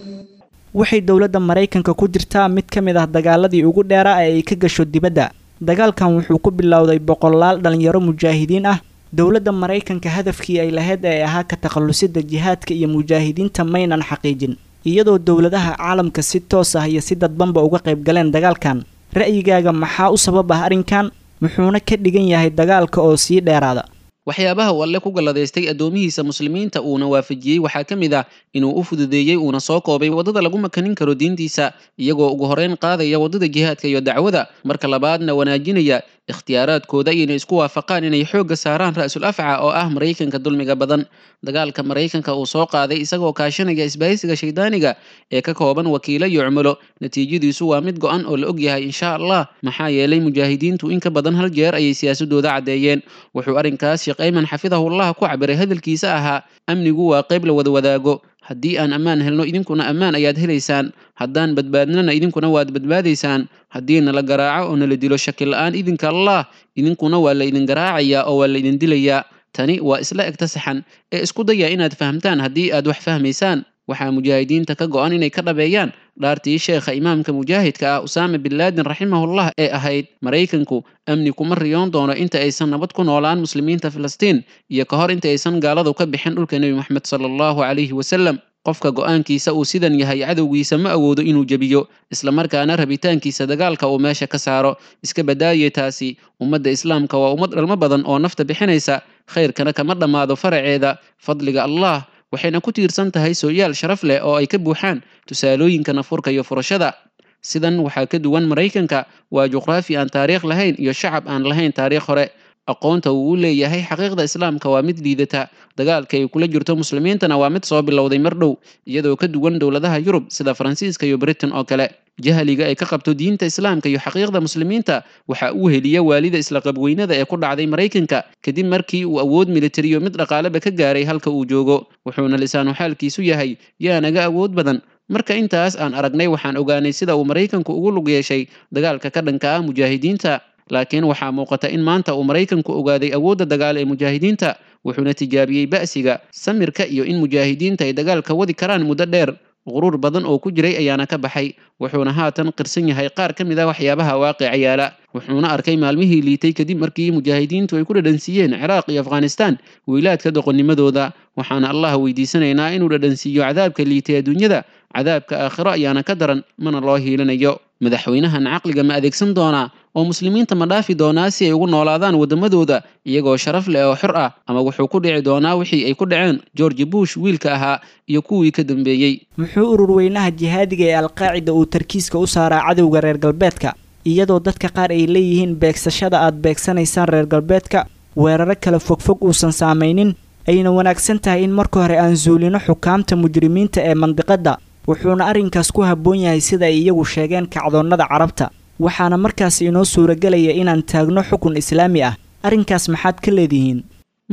H: Waxay dowladda Maraykanka ku jirtaa mid ka mid ah dagaaladii ugu dheeraa ee ay ka gasho dibadda. Dagaalkan wuxuu ku bilowday boqolaal dhalinyaro mujaahidiin ah. Dowladda Maraykanka hadafkii ay lahayd ee ahaa ka takhallusida jihaadka iyo mujaahidiinta maynan xaqiijin, iyadoo dowladaha caalamka si toos ah iyo si dadbanba uga qayb galeen dagaalkan. Ra'yigaaga maxaa u sabab ah arrinkan? Muxuuna ka dhigan yahay dagaalka oo sii dheeraada?
I: Waxyaabaha uu Alle ku galladaystay addoomihiisa muslimiinta uuna waafajiyey waxaa ka mid ah inuu u fududeeyey uuna soo koobay waddada lagu makanin karo diintiisa, iyagoo ugu horeyn qaadaya waddada jihaadka iyo dacwada, marka labaadna wanaajinaya ikhtiyaaraadkooda inay isku waafaqaan inay xoogga saaraan ra'sul afca oo ah Maraykanka dulmiga badan. Dagaalka Maraykanka uu soo qaaday isagoo kaashanaya isbahaysiga shaydaaniga ee ka kooban wakiilo iyo cumulo, natiijadiisu waa mid go'an oo la ogyahay insha Allah, maxaa yeelay mujaahidiintu in ka badan hal jeer ayay siyaasadooda caddeeyeen. Wuxuu arrinkaas Sheekh Ayman xafidahullah ku cabiray hadalkiisa ahaa: amnigu waa qayb la wada wadaago, haddii aan ammaan helno idinkuna ammaan ayaad helaysaan, haddaan badbaadnana idinkuna waad badbaadaysaan, haddii nala garaaco oo nala dilo shaki la'aan idinka Allah idinkuna waa la idin garaacayaa oo waa la idin dilayaa. Tani waa isla egta saxan ee isku daya inaad fahamtaan haddii aad wax fahmaysaan. Waxaa mujaahidiinta ka go'an inay ka dhabeeyaan dhaartii sheekha imaamka mujaahidka ah Usaama bin Laden raximahullah ee ahayd: Maraykanku amni kuma riyoon doono inta aysan nabad ku noolaan muslimiinta Filistiin iyo ka hor inta aysan gaaladu ka bixin dhulka Nebi Maxamed sala allahu calayhi wasalam. Qofka go'aankiisa uu sidan yahay cadowgiisa ma awoodo inuu jebiyo, islamarkaana rabitaankiisa dagaalka uu meesha ka saaro. Iska badaaye taasi, ummadda islaamka waa ummad dhalmo badan oo nafta bixinaysa, khayrkana kama dhammaado faraceeda fadliga Allah, waxayna ku tiirsan tahay sooyaal sharaf leh oo ay ka buuxaan tusaalooyinka nafurka iyo furashada. Sidan waxaa ka duwan Maraykanka, waa juqraafi aan taariikh lahayn iyo shacab aan lahayn taariikh hore. Aqoonta uu u leeyahay xaqiiqda islaamka waa mid liidata, dagaalka ay kula jirto muslimiintana waa mid soo bilowday mar dhow, iyadoo ka duwan dowladaha Yurub sida Faransiiska iyo Britain oo kale. Jahliga ay ka qabto diinta islaamka iyo xaqiiqda muslimiinta waxa uu heliya waalida isla qabweynada ee ku dhacday Maraykanka kadib markii uu awood militariyo mid dhaqaaleba ka gaaray halka uu joogo, wuxuuna lisaanu xaalkiisu yahay: yaa naga awood badan. Marka intaas aan aragnay waxaan ogaanay sida uu Maraykanku ugu lug yeeshay dagaalka ka dhanka ah mujaahidiinta. Laakiin waxaa muuqata in maanta uu Maraykanku ogaaday awoodda dagaal ee mujaahidiinta, wuxuuna tijaabiyey ba'siga, samirka iyo in mujaahidiinta ay dagaalka wadi karaan muddo dheer. Quruur badan oo ku jiray ayaana ka baxay, wuxuuna haatan qirsan yahay qaar ka mid ah waxyaabaha waaqica yaala. Wuxuuna arkay maalmihii liitay kadib markii mujaahidiintu ay ku dhadhansiiyeen Ciraaq iyo Afghanistan wiilaadka doqonnimadooda. Waxaana Allah weydiisanaynaa inuu dhadhansiiyo cadaabka liitay adduunyada, cadaabka aakhiro ayaana ka daran, mana loo hiilinayo. Madaxweynahan caqliga ma adeegsan doonaa oo muslimiinta ma dhaafi doonaa si ay ugu noolaadaan waddamadooda iyagoo sharaf leh oo xor ah, ama wuxuu ku dhici doonaa wixii ay ku dhaceen George Bush wiilka ahaa iyo kuwii ka dambeeyey?
H: Muxuu ururweynaha jihaadiga ee Alqaacida uu tarkiiska u saaraa cadowga reer galbeedka, iyadoo dadka qaar ay leeyihiin beegsashada aad beegsanaysaan reer galbeedka weeraro kala fogfog uusan saamaynin, ayna wanaagsan tahay in marka hore aan zuulino xukaamta mujrimiinta ee mandiqadda, wuxuuna arrinkaas ku habboon yahay sida ay iyagu sheegeen kacdoonnada carabta, waxaana markaas inoo suuragelaya inaan taagno xukun islaami ah. Arrinkaas maxaad ka leedihiin?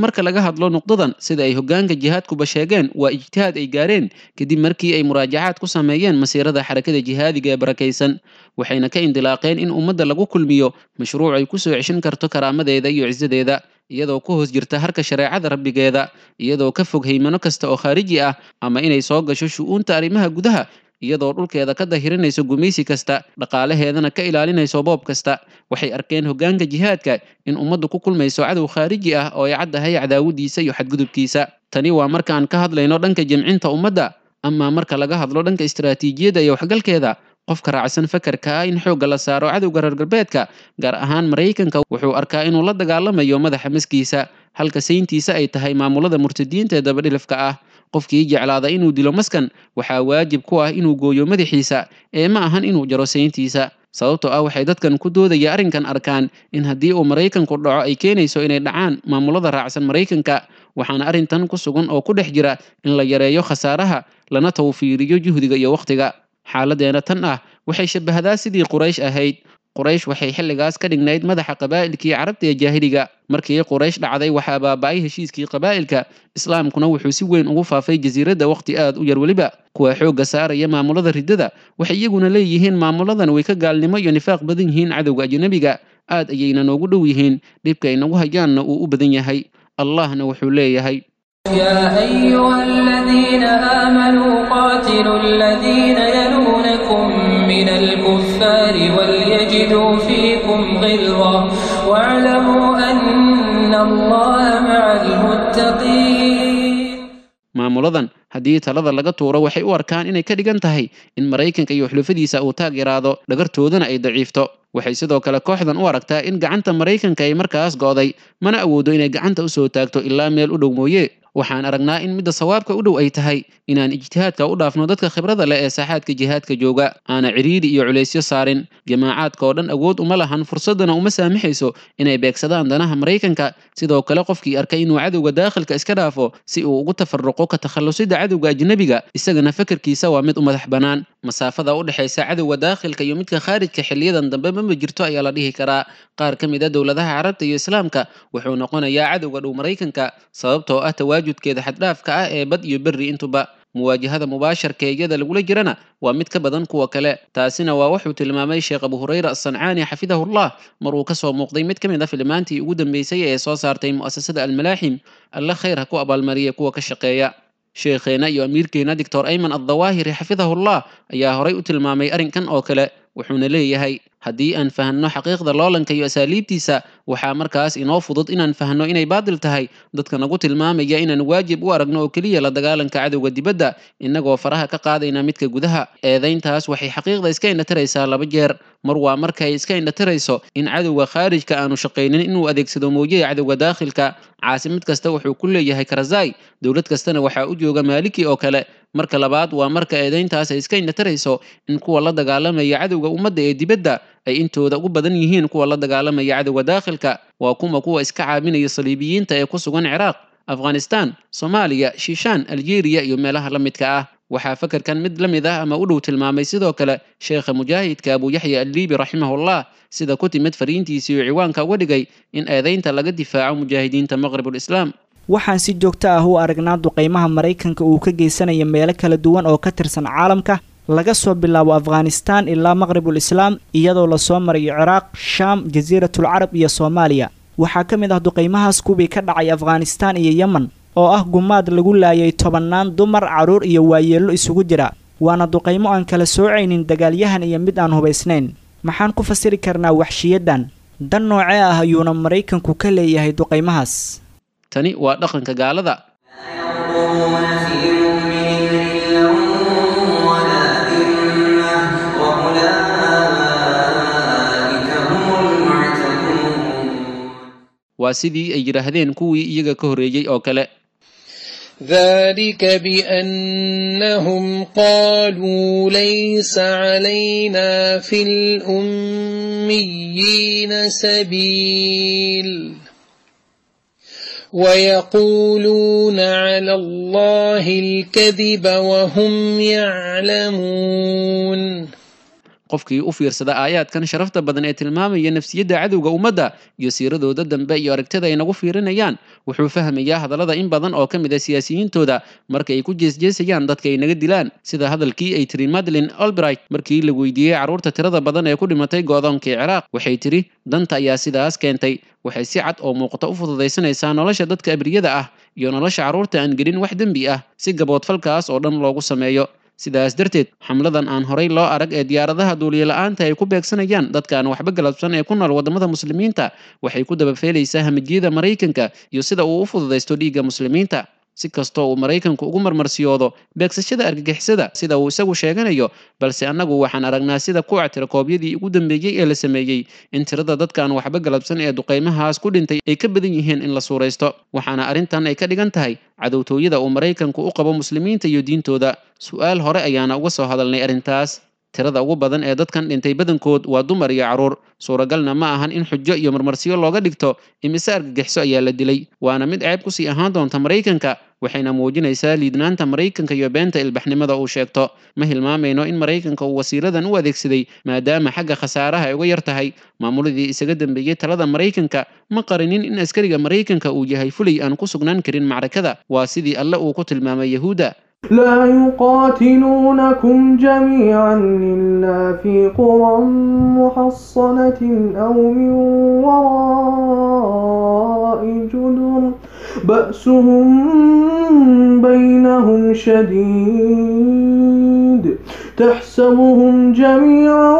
I: Marka laga hadlo nuqdadan, sida ay hoggaanka jihaadkuba sheegeen, waa ijtihaad ay gaareen kadib markii ay muraajacaad ku sameeyeen masiirada xarakada jihaadiga ee barakaysan, waxayna ka indilaaqeen in ummadda lagu kulmiyo mashruuc ay ku soo ceshin karto karaamadeeda iyo cisadeeda, iyadoo ku hoos jirta harka shareecada rabbigeeda, iyadoo ka fog haymano kasta oo khaariji ah ama inay soo gasho shu'uunta arrimaha gudaha, iyadoo dhulkeeda ka dahirinayso gumaysi kasta, dhaqaalaheedana ka ilaalinayso boob kasta. Waxay arkeen hoggaanka jihaadka in ummaddu ku kulmayso cadow khaariji ah oo ay caddahay cadaawadiisa iyo xadgudubkiisa. Tani waa markaan ka hadlayno dhanka jamcinta ummadda. Amaa marka laga hadlo dhanka istiraatiijiyadda iyo waxgalkeeda, qofka raacsan fakarka ah in xoogga la saaro cadowga reer galbeedka, gaar ahaan Maraykanka, wuxuu arkaa inuu la dagaalamayo madaxa maskiisa, halka sayntiisa ay tahay maamulada murtadiinta ee dabadhilifka ah. Qofkii jeclaada inuu dilo maskan waxaa waajib ku ah inuu gooyo madaxiisa ee ma ahan inuu jaro sayntiisa, sababtoo ah waxay dadkan ku doodaya arrinkan arkaan in haddii uu Maraykanku dhaco ay keenayso inay dhacaan maamulada raacsan Maraykanka. Waxaana arrintan ku sugan oo ku dhex jira in la yareeyo khasaaraha lana tawfiiriyo juhdiga iyo wakhtiga. Xaaladeena tan ah waxay shabahdaa sidii Quraysh ahayd. Quraysh waxay xilligaas ka dhignayd madaxa qabaa'ilkii carabta ee jaahiliga. Markii Quraysh dhacday waxaa baaba'ay heshiiskii qabaa'ilka, islaamkuna wuxuu si weyn ugu faafay jasiiradda waqti aad u yar. Weliba kuwa xoogga saaraya maamulada riddada waxay iyaguna leeyihiin maamuladan way ka gaalnimo iyo nifaaq badan yihiin cadowga ajnabiga, aad ayayna noogu dhow yihiin, dhibka ay nagu hayaanna uu u badan yahay. Allahna wuxuu leeyahay:
K: يا أيها الذين آمنوا قاتلوا الذين يلونكم من الكفار وليجدوا فيكم غلظة واعلموا أن الله مع المتقين.
I: Maamuladan haddii talada laga tuuro waxay u arkaan inay ka dhigan tahay in Maraykanka iyo xulufadiisa uu taageeraado, dhagartoodana ay daciifto. Waxay sidoo kale kooxdan u aragtaa in gacanta Maraykanka ay markaas go'day, mana awoodo inay gacanta usoo taagto ilaa meel u dhow mooye. Waxaan aragnaa in midda sawaabka u dhow ay tahay inaan ijtihaadka u dhaafno dadka khibrada leh ee saaxaadka jihaadka jooga, aana ciriiri iyo culaysyo saarin. Jamaacaadka oo dhan awood uma lahan, fursadana uma saamaxayso inay beegsadaan danaha Maraykanka. Sidoo kale qofkii arkay inuu cadowga daakhilka iska dhaafo si uu ugu tafaruqo ka takhalusida cadowga ajnabiga, isagana fakarkiisa waa mid u madax bannaan. Masaafada u dhexaysa cadowga daakhilka iyo midka khaarijka xiliyadan dambe mama jirto ayaa la dhihi karaa. Qaar ka mid a dowladaha Carabta iyo Islaamka wuxuu noqonayaa cadowga dhow Maraykanka, sababtoo ah tawaajudkeeda xaddhaafka ah ee bad iyo berri intuba. Muwaajahada mubaasharka ee iyada lagula jirana waa mid ka badan kuwa kale. Taasina waa wuxuu tilmaamay Sheekh Abu Hurayra Asancaani xafidahullah mar uu kasoo muuqday mid ka mid a filimaantii ugu dambeysay ee soo saartay mu'asasada Almalaaxim. Alle khayr ha ku abaalmariya kuwa ka shaqeeya. Sheekheena iyo amiirkeena Doctor Ayman Addawaahiri xafidahullah ayaa horay u tilmaamay arrinkan oo kale, wuxuuna leeyahay: haddii aan fahanno xaqiiqda loolanka iyo asaaliibtiisa, waxaa markaas inoo fudud inaan fahanno inay baadil tahay dadka nagu tilmaamaya inaan waajib u aragno oo keliya la dagaalanka cadowga dibadda, innagoo faraha ka qaadayna midka gudaha. Eedayntaas waxay xaqiiqda iska indhatiraysaa laba jeer. Mar waa marka ay iska indhatirayso in cadowga khaarijka aanu shaqaynin inuu adeegsado moojiya cadowga daakhilka. Caasimad kasta wuxuu ku leeyahay Karzai, dowlad kastana waxaa u jooga Maaliki oo kale. Marka labaad waa marka eedayntaas ay iska indhatirayso in kuwa la dagaalamaya cadowga ummadda ee dibadda ay intooda ugu badan yihiin kuwa la dagaalamaya cadowga daakhilka. Waa kuma kuwa iska caabinaya saliibiyiinta ee ku sugan Ciraaq, Afghanistan, Soomaaliya, Shiishaan, Aljeeriya iyo meelaha la midka ah. Waxaa fakarkan mid la mid ah ama u dhow tilmaamay sidoo kale sheekha mujaahidka Abu Yaxya Alliibi raximahullah, sida ku timid fariintiisii uu ciwaanka uga dhigay in eedaynta laga difaaco mujaahidiinta Maqribul Islaam.
H: Waxaan si joogto ah u aragnaa duqeymaha Maraykanka uu ka geysanaya meelo kala duwan oo ka tirsan caalamka, laga soo bilaabo Afghanistan ilaa Maqribul Islaam, iyadoo lasoo marayo Ciraaq, Shaam, Jasiiratul Carab iyo Soomaaliya. Waxaa ka mid ah duqeymahaas kuwii ka dhacay Afghanistan iyo Yemen, oo ah gumaad lagu laayay tobannaan dumar, carruur iyo waayeello isugu jira. Waana duqeymo aan kala soocaynin dagaalyahan iyo mid aan hubaysnayn. Maxaan ku fasiri karnaa waxshiyadan? Dan noocee ah ayuuna Maraykanku ka leeyahay duqeymahaas?
I: Tani waa dhaqanka gaalada. Waa sidii ay yidhaahdeen kuwii iyaga ka horreeyey oo kale.
K: ذلك بأنهم قالوا ليس علينا في الأميين سبيل ويقولون على الله الكذب وهم يعلمون.
I: Qofkii u fiirsada aayaadkan sharafta badan ee tilmaamaya nafsiyadda cadowga ummadda iyo siiradooda dambe iyo aragtida ay nagu fiirinayaan, wuxuu fahmayaa hadallada in badan oo ka mid a siyaasiyiintooda marka ay ku jeesjeesayaan dadka ay naga dilaan, sida hadalkii ay tiri Madeleine Albright markii la weydiiyey carruurta tirada badan ee ku dhimatay go'doonkii Ciraaq. Waxay tiri: danta ayaa sidaas keentay. Waxay si cad oo muuqata u fududaysanaysaa nolosha dadka abriyada ah iyo nolosha carruurta aan gelin wax dembi ah si gaboodfalkaas oo dhan loogu sameeyo. Sidaas darteed xamladan aan horay loo arag ee diyaaradaha duuliye la'aanta ay ku beegsanayaan dadka aan waxba galabsan ee ku nool waddamada muslimiinta waxay ku dabafeelaysaa hamajiyada Maraykanka iyo sida uu u fududaysto dhiigga muslimiinta. Si kastoo uu Maraykanku ugu marmarsiyoodo beegsashada argagixisada sida uu isagu sheeganayo, balse annagu waxaan aragnaa sida kuwa tirakoobyadii ugu dambeeyey ee la sameeyey in tirada dadka aan waxba galabsan ee duqeymahaas ku dhintay ay ka badan yihiin in la suuraysto. Waxaana arrintan ay ka dhigan tahay cadowtooyada uu Maraykanku u qabo muslimiinta iyo diintooda. Su'aal hore ayaana uga soo hadalnay arrintaas. Tirada ugu badan ee dadkan dhintay badankood waa dumar iyo carruur. Suuragalna ma ahan in xujo iyo marmarsiyo looga dhigto imise argagixiso ayaa la dilay, waana mid ceeb kusii ahaan doonta Maraykanka, waxayna muujinaysaa liidnaanta Maraykanka iyo beenta ilbaxnimada uu sheegto. Ma hilmaamayno in Maraykanka uu wasiiradan u adeegsaday maadaama xagga khasaaraha ay uga yar tahay. Maamuladii isaga dambeeyey talada Maraykanka ma qarinin in askariga Maraykanka uu yahay fulay aan ku sugnaan karin macrakada. Waa sidii Alle uu ku tilmaamay Yahuudda:
L: لا يقاتلونكم جميعا إلا في قرى محصنة أو من وراء جدر بأسهم بينهم شديد تحسبهم جميعا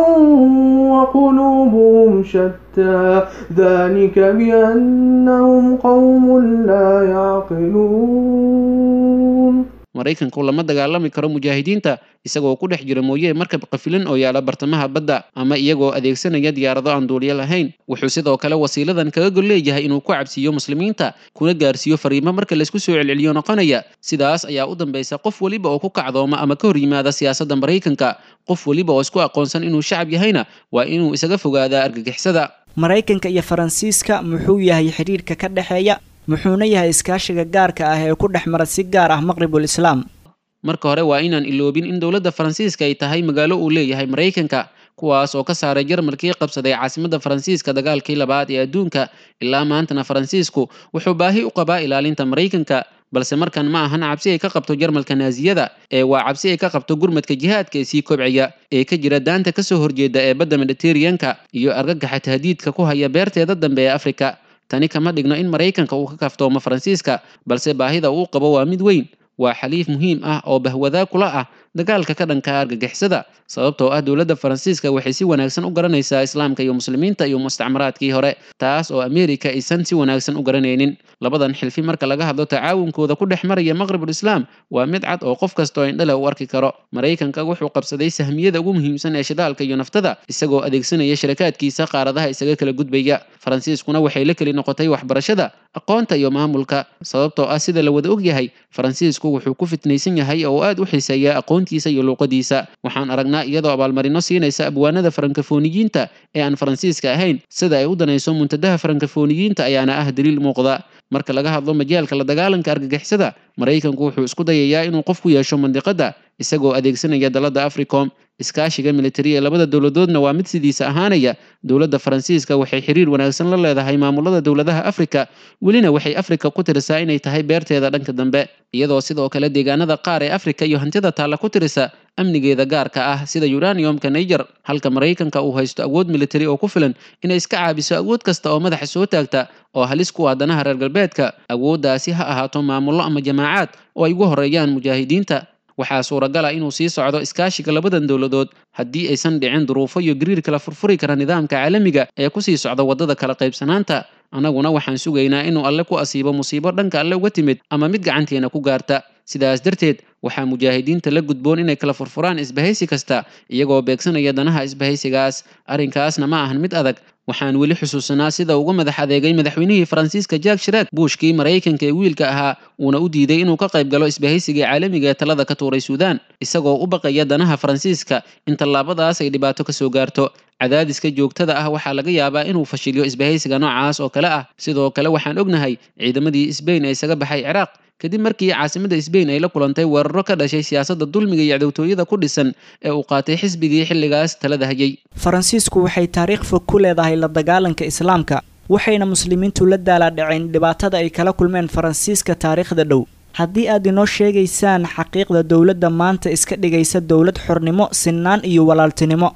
L: وقلوبهم شتى ذلك بأنهم قوم لا يعقلون.
I: Maraykanku lama dagaalami karo mujaahidiinta isagoo ku dhex jira mooye markab qafilan oo yaala bartamaha badda ama iyagoo adeegsanaya diyaarado aan duuliyo lahayn. Wuxuu sidoo kale wasiiladan kaga gol leeyahay inuu ku cabsiiyo muslimiinta kuna gaarsiiyo fariimo marka laysku soo celceliyo noqonaya. Sidaas ayaa u dambaysa qof weliba oo ku kacdooma ama ka hor yimaada siyaasadda Maraykanka. Qof weliba oo isku aqoonsan inuu shacab yahayna waa inuu isaga fogaadaa argagixisada.
H: Maraykanka iyo Faransiiska muxuu yahay xidhiidhka ka dhexeeya, muxuuna yahay iskaashiga gaarka ah ee ku dhex mara si gaar ah Maqribul Islaam?
I: Marka hore waa inaan iloobin in dowladda Faransiiska ay tahay magaalo uu leeyahay Maraykanka, kuwaas oo ka saaray Jarmalkii qabsaday caasimadda Faransiiska dagaalkii labaad ee adduunka. Ilaa maantana Faransiisku wuxuu baahi u qabaa ilaalinta Maraykanka, balse markan ma ahan cabsi ay ka qabto Jarmalka Naasiyada, ee waa cabsi ay ka qabto gurmadka jihaadka ee sii kobcaya ee ka jira daanta kasoo horjeeda ee badda Mediterranean-ka iyo argagaxa tahdiidka ku haya beerteeda dambe ee Afrika. Tani kama dhigno in Maraykanka uu ka kaftoomo Faransiiska, balse baahida uu qabo waa mid weyn. Waa xaliif muhiim ah oo bahwadaa kula ah dagaalka ka dhanka argagixisada, sababtoo ah dowladda Faransiiska waxay si wanaagsan u garanaysaa islaamka iyo muslimiinta iyo mustacmaraadkii hore, taas oo Ameerika aysan si wanaagsan u garanaynin. Labadan xilfi marka laga hadlo tacaawunkooda ku dhex maraya Maqribul Islaam waa mid cad oo qof kasta oo indhale u arki karo. Maraykanka wuxuu qabsaday sahmiyada ugu muhiimsan ee shidaalka iyo naftada, isagoo adeegsanaya shirakaadkiisa qaaradaha isaga kala gudbaya. Faransiiskuna waxay la keli noqotay waxbarashada, aqoonta iyo maamulka, sababtoo ah sida la wada ogyahay Faransiisku wuxuu ku fitnaysan yahay oo aad u xiiseeya aqoontiisa iyo luuqadiisa. Waxaan aragnaa iyadoo abaalmarino siinaysa abwaanada farankafooniyiinta ee aan Faransiiska ahayn. Sida ay u danayso muntadaha farankafooniyiinta ayaana ah daliil muuqda. Marka laga hadlo majaalka la dagaalanka argagixisada, Maraykanku wuxuu isku dayayaa inuu qof ku yeesho mandiqada isagoo adeegsanaya dalada Africom. Iskaashiga militari ee labada dowladoodna waa mid sidiisa ahaanaya. Dowladda Faransiiska waxay xiriir wanaagsan la leedahay maamulada dowladaha Afrika, welina waxay Afrika ku tirisaa inay tahay beerteeda dhanka dambe, iyadoo sidoo kale deegaanada qaar ee Afrika iyo hantida taalla ku tirisa amnigeeda gaarka ah sida uraniumka Niger, halka Maraykanka uu haysto awood militari oo ku filan inay iska caabiso awood kasta oo madaxa soo taagta oo halis ku ah danaha reer galbeedka. Awooddaasi ha ahaato maamullo ama jamaacaad oo ay ugu horeeyaan mujaahidiinta. Waxaa suuragal ah inuu sii socdo iskaashiga labadan dowladood haddii aysan dhicin duruufo iyo gariir kala furfuri kara nidaamka caalamiga ee kusii socda waddada kala qaybsanaanta. Annaguna waxaan sugaynaa inuu Alle ku asiibo musiibo dhanka Alle uga timid ama mid gacanteena ku gaarta. Sidaas darteed waxaa mujaahidiinta la gudboon inay kala furfuraan isbahaysi kasta iyagoo beegsanaya danaha isbahaysigaas. Arrinkaasna ma ahan mid adag. Waxaan weli xusuusanaa sida uga madax adeegay madaxweynihii Faransiiska Jacques Chirac Bushkii Maraykanka ee wiilka ahaa, uuna u diiday inuu ka qayb galo isbahaysigii caalamiga ee talada ka tuuray Suudaan, isagoo u baqaya danaha Faransiiska in tallaabadaas ay dhibaato ka soo gaarto. Cadaadiska joogtada ah waxaa laga yaabaa inuu fashiliyo isbahaysiga noocaas oo kale ah. Sidoo kale waxaan ognahay ciidamadii Sbain ee isaga baxay Ciraaq kadib markii caasimadda Sbain ay la kulantay weeraro ka dhashay siyaasadda dulmiga iyo cadowtooyada ku dhisan ee uu qaatay xisbigii xilligaas talada hayay.
H: Faransiisku waxay taariikh fog ku leedahay la dagaalanka islaamka, waxayna muslimiintu la daalaadhaceen dhibaatada ay kala kulmeen Faransiiska taariikhda dhow. Haddii aad inoo sheegaysaan xaqiiqda dowladda maanta iska dhigaysa dowlad xornimo, sinaan iyo walaaltinimo.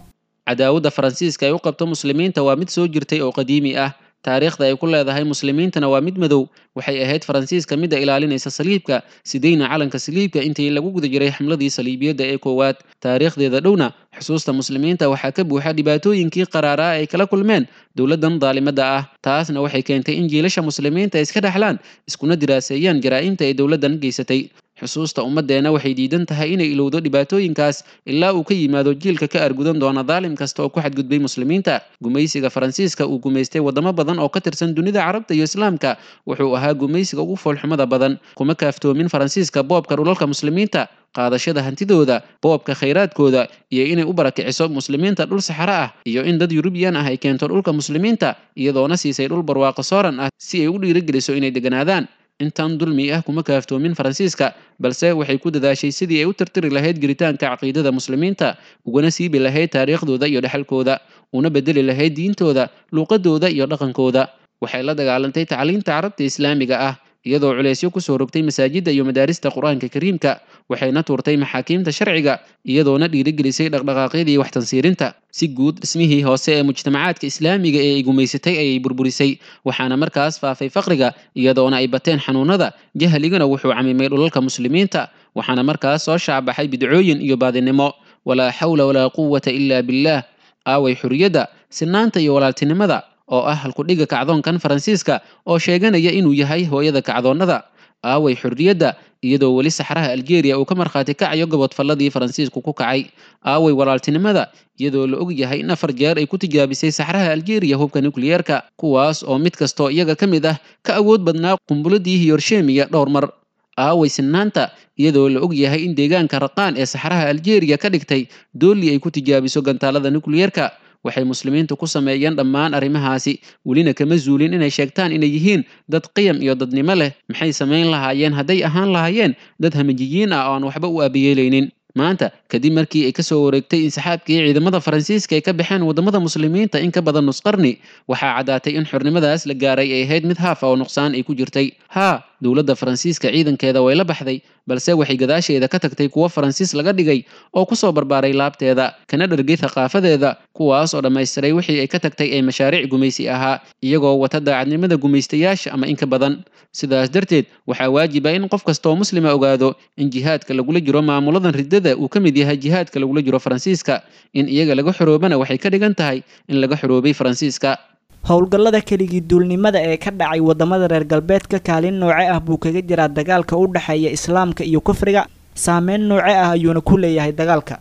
I: Cadaawadda Faransiiska ay u qabto muslimiinta waa mid soo jirtay oo qadiimi ah. Taariikhda ay ku leedahay muslimiintana waa mid madow. Waxay ahayd Faransiiska midda ilaalinaysa saliibka, sidayna calanka saliibka intii lagu guda jiray xamladii saliibiyadda ee koowaad. Taariikhdeeda dhowna xusuusta muslimiinta waxaa ka buuxa dhibaatooyinkii qaraaraa ay kala kulmeen dowladdan daalimadda ah. Taasna waxay keentay in jiilasha muslimiinta ay iska dhexlaan iskuna diraaseeyaan jaraa'imta ay dowladdan geysatay. Xusuusta ummaddeena waxay diidan tahay inay ilowdo dhibaatooyinkaas ilaa uu ka yimaado jiilka ka argudan doona daalim kasta oo ku xadgudbay muslimiinta. Gumaysiga Faransiiska uu gumaystay waddamo badan oo ka tirsan dunida Carabta iyo Islaamka wuxuu ahaa gumaysiga ugu foolxumada badan. Kuma kaaftoomin Faransiiska boobka dhulalka muslimiinta, qaadashada hantidooda, boobka khayraadkooda iyo inay u barakiciso muslimiinta dhul saxaro ah iyo in dad Yurubiyan ah ay keento dhulka muslimiinta, iyadoona siisay dhul barwaaqo sooran ah si ay u dhiirigeliso inay deganaadaan. Intan dulmi ah kuma kaaftoomin Faransiiska, balse waxay ku dadaashay sidii ay u tirtiri lahayd jiritaanka caqiidada muslimiinta, ugana siibi lahayd taariikhdooda iyo dhexalkooda, una bedeli lahayd diintooda, luuqadooda iyo dhaqankooda. Waxay la dagaalantay tacliinta Carabta Islaamiga ah, iyadoo culeysyo kusoo rogtay masaajidda iyo madaarista Qur-aanka Kariimka. Waxayna tuurtay maxaakiimta sharciga, iyadoona dhiirigelisay dhaqdhaqaaqyadii wax tansiirinta. Si guud dhismihii hoose ee mujtamacaadka islaamiga ee ay gumaysatay ayay burburisay, waxaana markaas faafay faqriga, iyadoona ay bateen xanuunada. Jahliguna wuxuu camimay dhulalka muslimiinta, waxaana markaas soo shaabaxay bidcooyin iyo baadinimo. Walaa xawla walaa quwata ilaa billaah. Aaway xuriyadda, sinaanta iyo walaaltinimada oo ah halkudhiga kacdoonkan Faransiiska oo sheeganaya inuu yahay hooyada kacdoonnada? Aaway xurriyadda Iyadoo weli saxraha Aljeeriya uu ka markhaati kacayo gobodfalladii Faransiisku ku kacay. Aaway walaaltinimada? Iyadoo la og yahay in afar jeer ay ku tijaabisay saxraha Aljeeriya hubka nukliyeerka, kuwaas oo mid kastoo iyaga ka mid ah ka awood badnaa qumbuladii Hiroshima dhowr mar. Aaway sinaanta? Iyadoo la og yahay in deegaanka Raqaan ee saxraha Aljeeriya ka dhigtay dooli ay ku tijaabiso gantaalada nukliyeerka. Waxay muslimiintu ku sameeyeen dhammaan arrimahaasi, welina kama zuulin inay sheegtaan inay yihiin dad qiyam iyo dadnimo leh. Maxay samayn lahaayeen hadday ahaan lahaayeen dad hamajiyiin ah oo aan waxba u aabiyeelaynin? Maanta kadib markii ay kasoo wareegtay insaxaabkii ciidamada Faransiiska ay ka baxeen waddamada muslimiinta in ka badan nus qarni, waxaa caddaatay in xornimadaas la gaaray ay ahayd mid haaf ah oo nuqsaan ay ku jirtay. Haa, dowladda Faransiiska ciidankeeda way la baxday, balse waxay gadaasheeda ka tagtay kuwo Faransiis laga dhigay oo kusoo barbaaray laabteeda, kana dhargay thaqaafadeeda, kuwaas oo dhammaystiray wixii ay ka tagtay ee mashaariic gumaysi ahaa, iyagoo wata daacadnimada gumaystayaasha ama in ka badan. Sidaas darteed waxaa waajib ah in qof kastoo muslima ogaado in jihaadka lagula jiro maamuladan riddada uu ka mid yahay jihaadka lagula jiro Faransiiska. In iyaga laga xoroobana waxay ka dhigan tahay in laga xoroobay Faransiiska.
H: Howlgallada keligii duulnimada ee ka dhacay waddamada reer galbeedka kaalin nooce ah buu kaga jiraa dagaalka u dhexeeya islaamka iyo kufriga? Saameyn nooce ah ayuuna ku leeyahay dagaalka?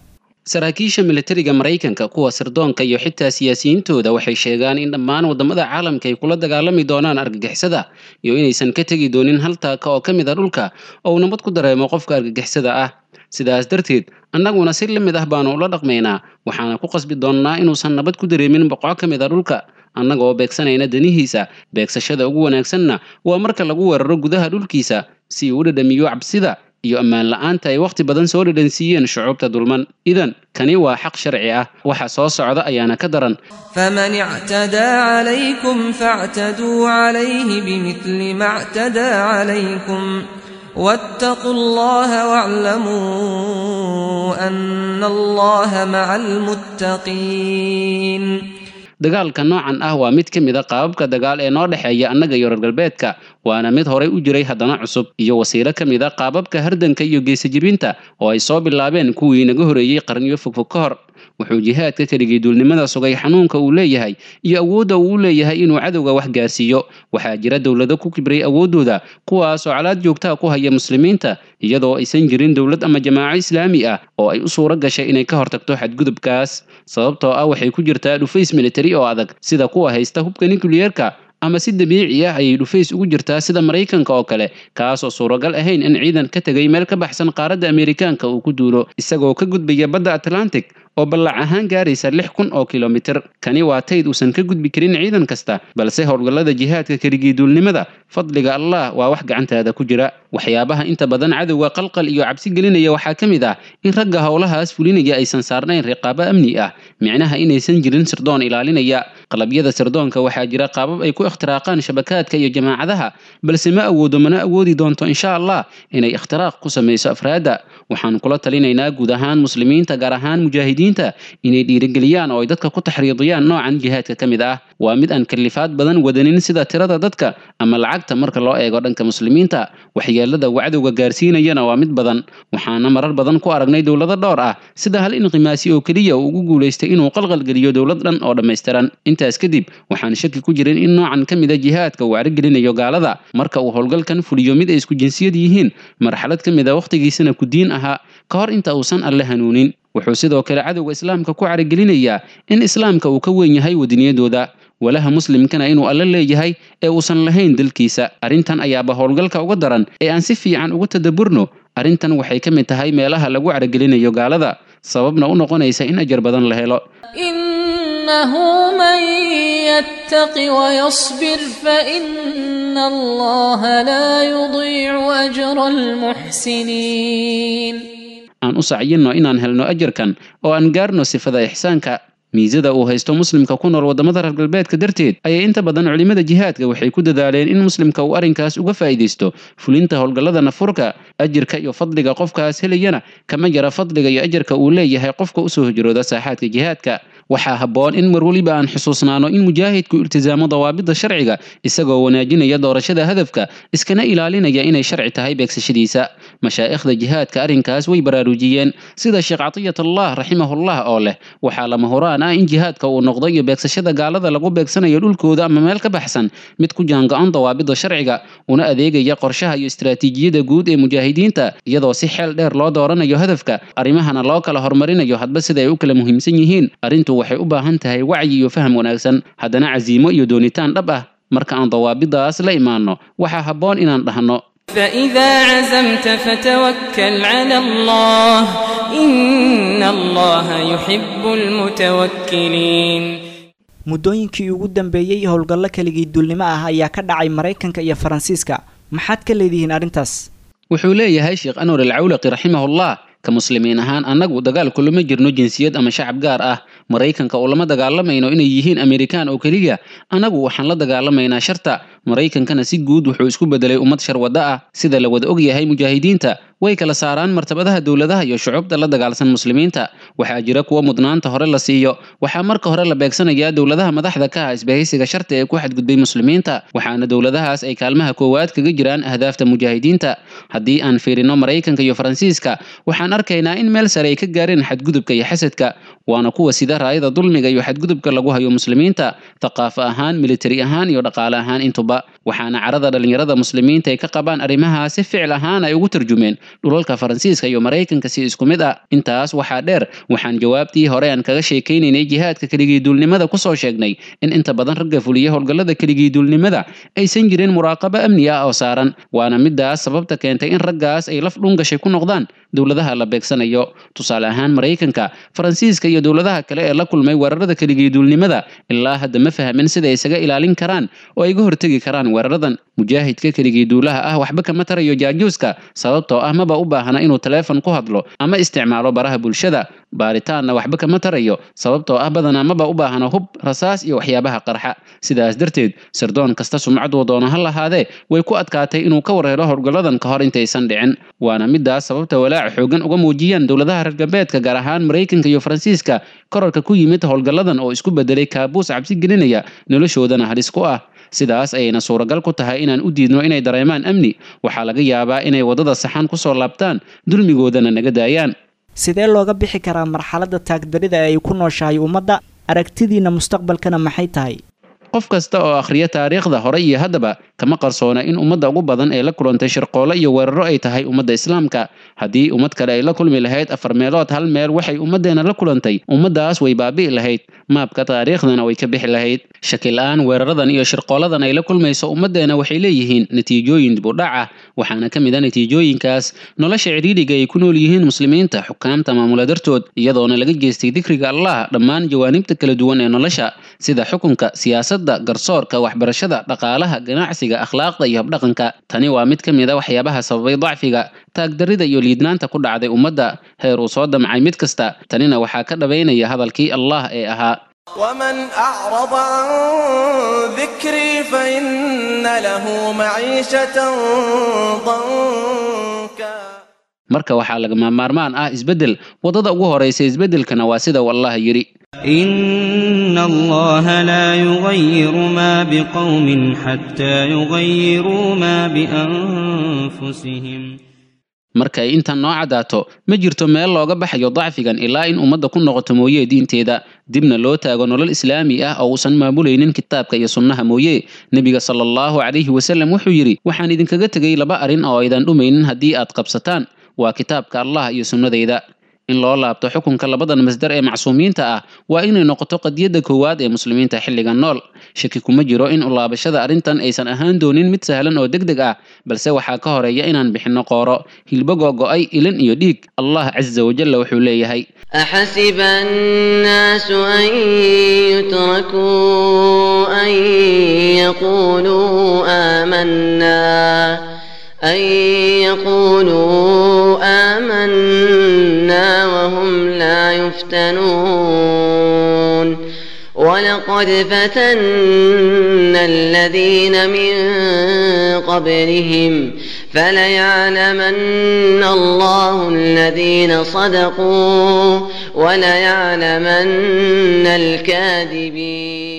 I: Saraakiisha militariga Maraykanka, kuwa sirdoonka iyo xitaa siyaasiyiintooda waxay sheegaan in dhammaan waddamada caalamka ay kula dagaalami doonaan argagixisada, iyo inaysan ka tegi doonin hal taaka oo ka mid a dhulka oo uu nabad ku dareemo qofka argagixisada ah. Sidaas darteed annaguna si la mid ah baanu ula dhaqmaynaa, waxaana ku qasbi doonnaa inuusan nabad ku dareemin boqo ka mid a dhulka, annaga oo beegsanayna danihiisa. Beegsashada ugu wanaagsanna waa marka lagu weeraro gudaha dhulkiisa, si uu u dhadhamiyo cabsida iyo ammaan la'aanta ay wakhti badan soo dhadhansiiyeen shucuubta dulman. Idan kani waa xaq sharci ah, waxa soo socda ayaana ka daran.
M: فمن اعتدى عليكم فاعتدوا عليه بمثل ما اعتدى عليكم واتقوا الله واعلموا أن الله مع المتقين.
I: Dagaalka noocan ah waa mid ka mid a qaababka dagaal ee noo dhexeeya annaga iyo reer galbeedka, waana mid horay u jiray haddana cusub, iyo wasiilo ka mid a qaababka hardanka iyo geesajibinta oo ay soo bilaabeen kuwii naga horeeyey qarniyo fogfog ka hor. Wuxuu jihaadka keligii duulnimada sugay xanuunka uu leeyahay iyo awoodda uu u leeyahay inuu cadowga wax gaarsiiyo. Waxaa jira dowlado ku kibray awooddooda, kuwaasoo calaad joogtaa ku haya muslimiinta, iyadoo aysan jirin dowlad ama jamaaco islaami ah oo ay u suuro gashay inay ka hortagto xadgudubkaas, sababtoo ah waxay ku jirtaa dhufays militari oo adag sida kuwa haysta hubka nukliyeerka, ama si dabiici ah ayay dhufays ugu jirtaa sida Maraykanka oo kale, kaasoo suuragal ahayn in ciidan ka tegay meel ka baxsan qaaradda Ameerikaanka uu ku duulo isagoo ka gudbaya badda Atlantic oo ballac ahaan gaaraysa lix kun oo kilomitir. Kani waa tayd uusan ka gudbi karin ciidan kasta, balse howlgallada jihaadka keligii duulnimada, fadliga Allah waa wax gacantaada ku jira. Waxyaabaha inta badan cadowga qalqal iyo cabsi gelinaya waxaa ka mid ah in ragga howlahaas fulinaya aysan saarnayn riqaabo amni ah, micnaha inaysan jirin sirdoon ilaalinaya. Qalabyada sirdoonka waxaa jira qaabab ay ku ikhtiraaqaan shabakaadka iyo jamaacadaha, balse ma awoodo mana awoodi doonto insha Allah inay ikhtiraaq ku samayso afraadda. Waxaan kula talinaynaa guud ahaan muslimiinta, gaar ahaan mujaahidiinta, inay dhiirigeliyaan oo ay dadka ku taxriidiyaan noocan jihaadka ka mid ah. Waa mid aan kalifaad badan wadanin sida tirada dadka ama lacagta marka loo eego dhanka muslimiinta. Waxyeelada uu cadowga gaarsiinayana waa mid badan, waxaana marar badan ku aragnay dowlado dhowr ah sida hal inqimaasi oo keliya uu ugu guulaystay inuu qalqalgeliyo dowlad dhan oo dhammaystiran. Intaas kadib waxaan shaki ku jirin in noocan ka mid a jihaadka uu carigelinayo gaalada marka uu howlgalkan fuliyo mid ay isku jinsiyad yihiin, marxalad ka mid a wakhtigiisana ku diin ahaa ka hor inta uusan Alle hanuunin. Wuxuu sidoo kale cadowga islaamka ku carigelinayaa in islaamka uu ka weyn yahay wadaniyadooda, walaha muslimkana inuu Alle leeyahay ee uusan lahayn dalkiisa. Arrintan ayaaba howlgalka uga daran ee aan si fiican uga tadaburno. Arrintan waxay ka mid tahay meelaha lagu caragelinayo gaalada, sababna u noqonaysa in ajar badan la helo.
N: إنه من يتق ويصبر فإن الله لا يضيع أجر المحسنين.
I: Aan u sacyinno inaan helno ajarkan oo aan gaarno sifada ixsaanka. Miisada uu haysto muslimka ku nool waddamada reer galbeedka darteed ayay inta badan culimada jihaadka waxay ku dadaaleen in muslimka uu arrinkaas uga faa'iidaysto fulinta howlgallada nafurka. Ajirka iyo fadliga qofkaas helayana kama jara fadliga iyo ajarka uu leeyahay qofka usoo hijrooda saaxaadka jihaadka. Waxaa habboon in mar weliba aan xusuusnaano in mujaahidku iltisaamo dawaabidda sharciga, isagoo wanaajinaya doorashada hadafka, iskana ilaalinaya inay sharci tahay beegsashadiisa. Mashaa'ikhda jihaadka arrinkaas way baraarujiyeen, sida Sheekh Catiyatullah raximahullah oo leh: waxaa lama huraan ah in jihaadka uu noqdo iyo beegsashada gaalada lagu beegsanayo dhulkooda ama meel ka baxsan mid ku jaango-an dawaabidda sharciga, una adeegaya qorshaha iyo istiraatiijiyada guud ee mujaahidiinta, iyadoo si xeel dheer loo dooranayo hadafka, arrimahana loo kala horumarinayo hadba sida ay u kala muhiimsan yihiin. Arrintu waxay u baahan tahay wacyi iyo faham wanaagsan, haddana casiimo iyo doonitaan dhab ah. Marka aan dawaabidaas la imaanno, waxaa habboon inaan dhahno:
M: فإذا عزمت فتوكل على الله إن الله يحب المتوكلين.
H: Muddooyinkii ugu dambeeyey howlgallo keligii duulnimo ah ayaa ka dhacay Maraykanka iyo Faransiiska. Maxaad ka leedihiin arrintaas?
I: Wuxuu leeyahay Sheekh Anwar Alcawlaqi raximahullah: ka muslimiin ahaan annagu dagaal kulama jirno jinsiyad ama shacab gaar ah. Maraykanka ulama dagaalamayno inay yihiin Amerikaan oo keliya, annagu waxaan la dagaalamaynaa sharta. Maraykankana si guud wuxuu isku bedelay ummad sharwada ah. Sida la wada og yahay, mujaahidiinta way kala saaraan martabadaha dowladaha iyo shucubta la dagaalsan muslimiinta. Waxaa jira kuwa mudnaanta hore la siiyo. Waxaa marka hore la beegsanayaa dowladaha madaxda ka ah isbahaysiga sharta ee ku xadgudbay muslimiinta, waxaana dowladahaas ay kaalmaha koowaad kaga jiraan ahdaafta mujaahidiinta. Haddii aan fiirino Maraykanka iyo Faransiiska, waxaan arkaynaa in meel sare ay ka gaareen xadgudubka iyo xasadka, waana kuwa sida raayada dulmiga iyo xadgudubka lagu hayo muslimiinta, thaqaafo ahaan, militari ahaan iyo dhaqaale ahaan intuba. Waxaana carada dhalinyarada muslimiinta ay ka qabaan arrimahaas si ficil ahaan ay ugu tarjumeen dhulalka Faransiiska iyo Maraykanka si isku mid ah. Intaas waxaa dheer, waxaan jawaabtii hore aan kaga sheekaynaynay jihaadka keligii duulnimada kusoo sheegnay in inta badan ragga fuliya howlgallada keligii duulnimada aysan jirin muraaqabo amni ah oo saaran, waana midaas sababta keentay in raggaas ay laf dhungashay ku noqdaan dowladaha la beegsanayo. Tusaale ahaan, Maraykanka, Faransiiska iyo dowladaha kale ee la kulmay weerarada keligii duulnimada ilaa hadda ma fahmin sida ay isaga ilaalin karaan oo ay uga hortegi karaan weeraradan. Mujaahidka keligii duulaha ah waxba kama tarayo jaajuuska, sababtoo ah maba u baahna inuu taleefon ku hadlo ama isticmaalo baraha bulshada. Baaritaanna waxba kama tarayo, sababtoo ah badanaa maba u baahna hub, rasaas iyo waxyaabaha qarxa. Sidaas darteed, sirdoon kasta sumcaduu doono ha lahaadee, way ku adkaatay inuu ka warhelo howlgalladan ka hor intaysan dhicin. Waana midaas sababta walaaca xooggan uga muujiyaan dowladaha reer galbeedka, gaar ahaan Maraykanka iyo Faransiiska, korarka ku yimid howlgalladan oo isku bedelay kaabuus cabsi gelinaya, noloshoodana halis ku ah. Sidaas ayayna suuragal ku tahay inaan u diidno inay dareemaan amni. Waxaa laga yaabaa inay waddada saxan kusoo laabtaan, dulmigoodana naga daayaan.
H: Sidee looga bixi karaa marxaladda taagdarida ee ay ku nooshahay ummadda? Aragtidiina mustaqbalkana maxay tahay?
I: Qof kasta oo akhriya taariikhda hore iyo haddaba kama qarsoona in ummadda ugu badan ee la kulantay shirqoolo iyo weeraro ay tahay ummadda islaamka. Haddii ummad kale ay la kulmi lahayd afar meelood hal meel waxay ummaddeena la kulantay, ummaddaas way baabi'i lahayd, maabka taariikhdana way ka bixi lahayd. Shaki la'aan, weeraradan iyo shirqooladan ay la kulmayso ummaddeena waxay leeyihiin natiijooyin dib u dhac ah. Waxaana ka mid ah natiijooyinkaas nolosha cidhiidhiga ay ku nool yihiin muslimiinta xukaamta maamula dartood, iyadoona laga jeestay dikriga Allah dhammaan jawaanibta kala duwan ee nolosha, sida xukunka, siyaasadda, garsoorka, waxbarashada, dhaqaalaha, ganacsiga, akhlaaqda iyo habdhaqanka. Tani waa mid ka mid a waxyaabaha sababay dacfiga, taagdarrida iyo liidnaanta ku dhacday ummadda, heer uu soo damcay mid kasta. Tanina waxaa ka dhabaynaya hadalkii Allah ee ahaa:
O: ومن أعرض عن ذكري فإن له معيشة ضنكا.
I: Marka waxaa lagama maarmaan ah isbeddel. Waddada ugu horaysa isbeddelkana waa sida uu Allah yidhi:
D: إن الله لا يغير ما بقوم حتى يغيروا ما بأنفسهم.
I: Marka ay intan noo caddaato, ma jirto meel looga baxayo dacfigan ilaa in ummadda ku noqoto mooye diinteeda, dibna loo taago nolol islaami ah oo uusan maamulaynin kitaabka iyo sunnaha mooye. Nebiga sala allahu calayhi wasallam wuxuu yidhi: waxaan idinkaga tegay laba arrin oo aydan dhumaynin haddii aad qabsataan, waa kitaabka Allah iyo sunnadayda. In loo laabto xukunka labadan masdar ee macsuumiinta ah waa inay noqoto qadiyadda koowaad ee muslimiinta xilligan nool. Shaki kuma jiro in u laabashada arrintan aysan ahaan doonin mid sahlan oo degdeg ah, balse waxaa ka horeeya inaan bixinno qooro, hilbo go'go'ay, ilin iyo dhiig. Allah casa wajalla wuxuu leeyahay:
P: أحسب الناس أن يتركوا أن يقولوا آمنا أن يقولوا آمنا وهم لا يفتنون. ولقد فتنا الذين من قبلهم فليعلمن الله الذين صدقوا وليعلمن الكاذبين.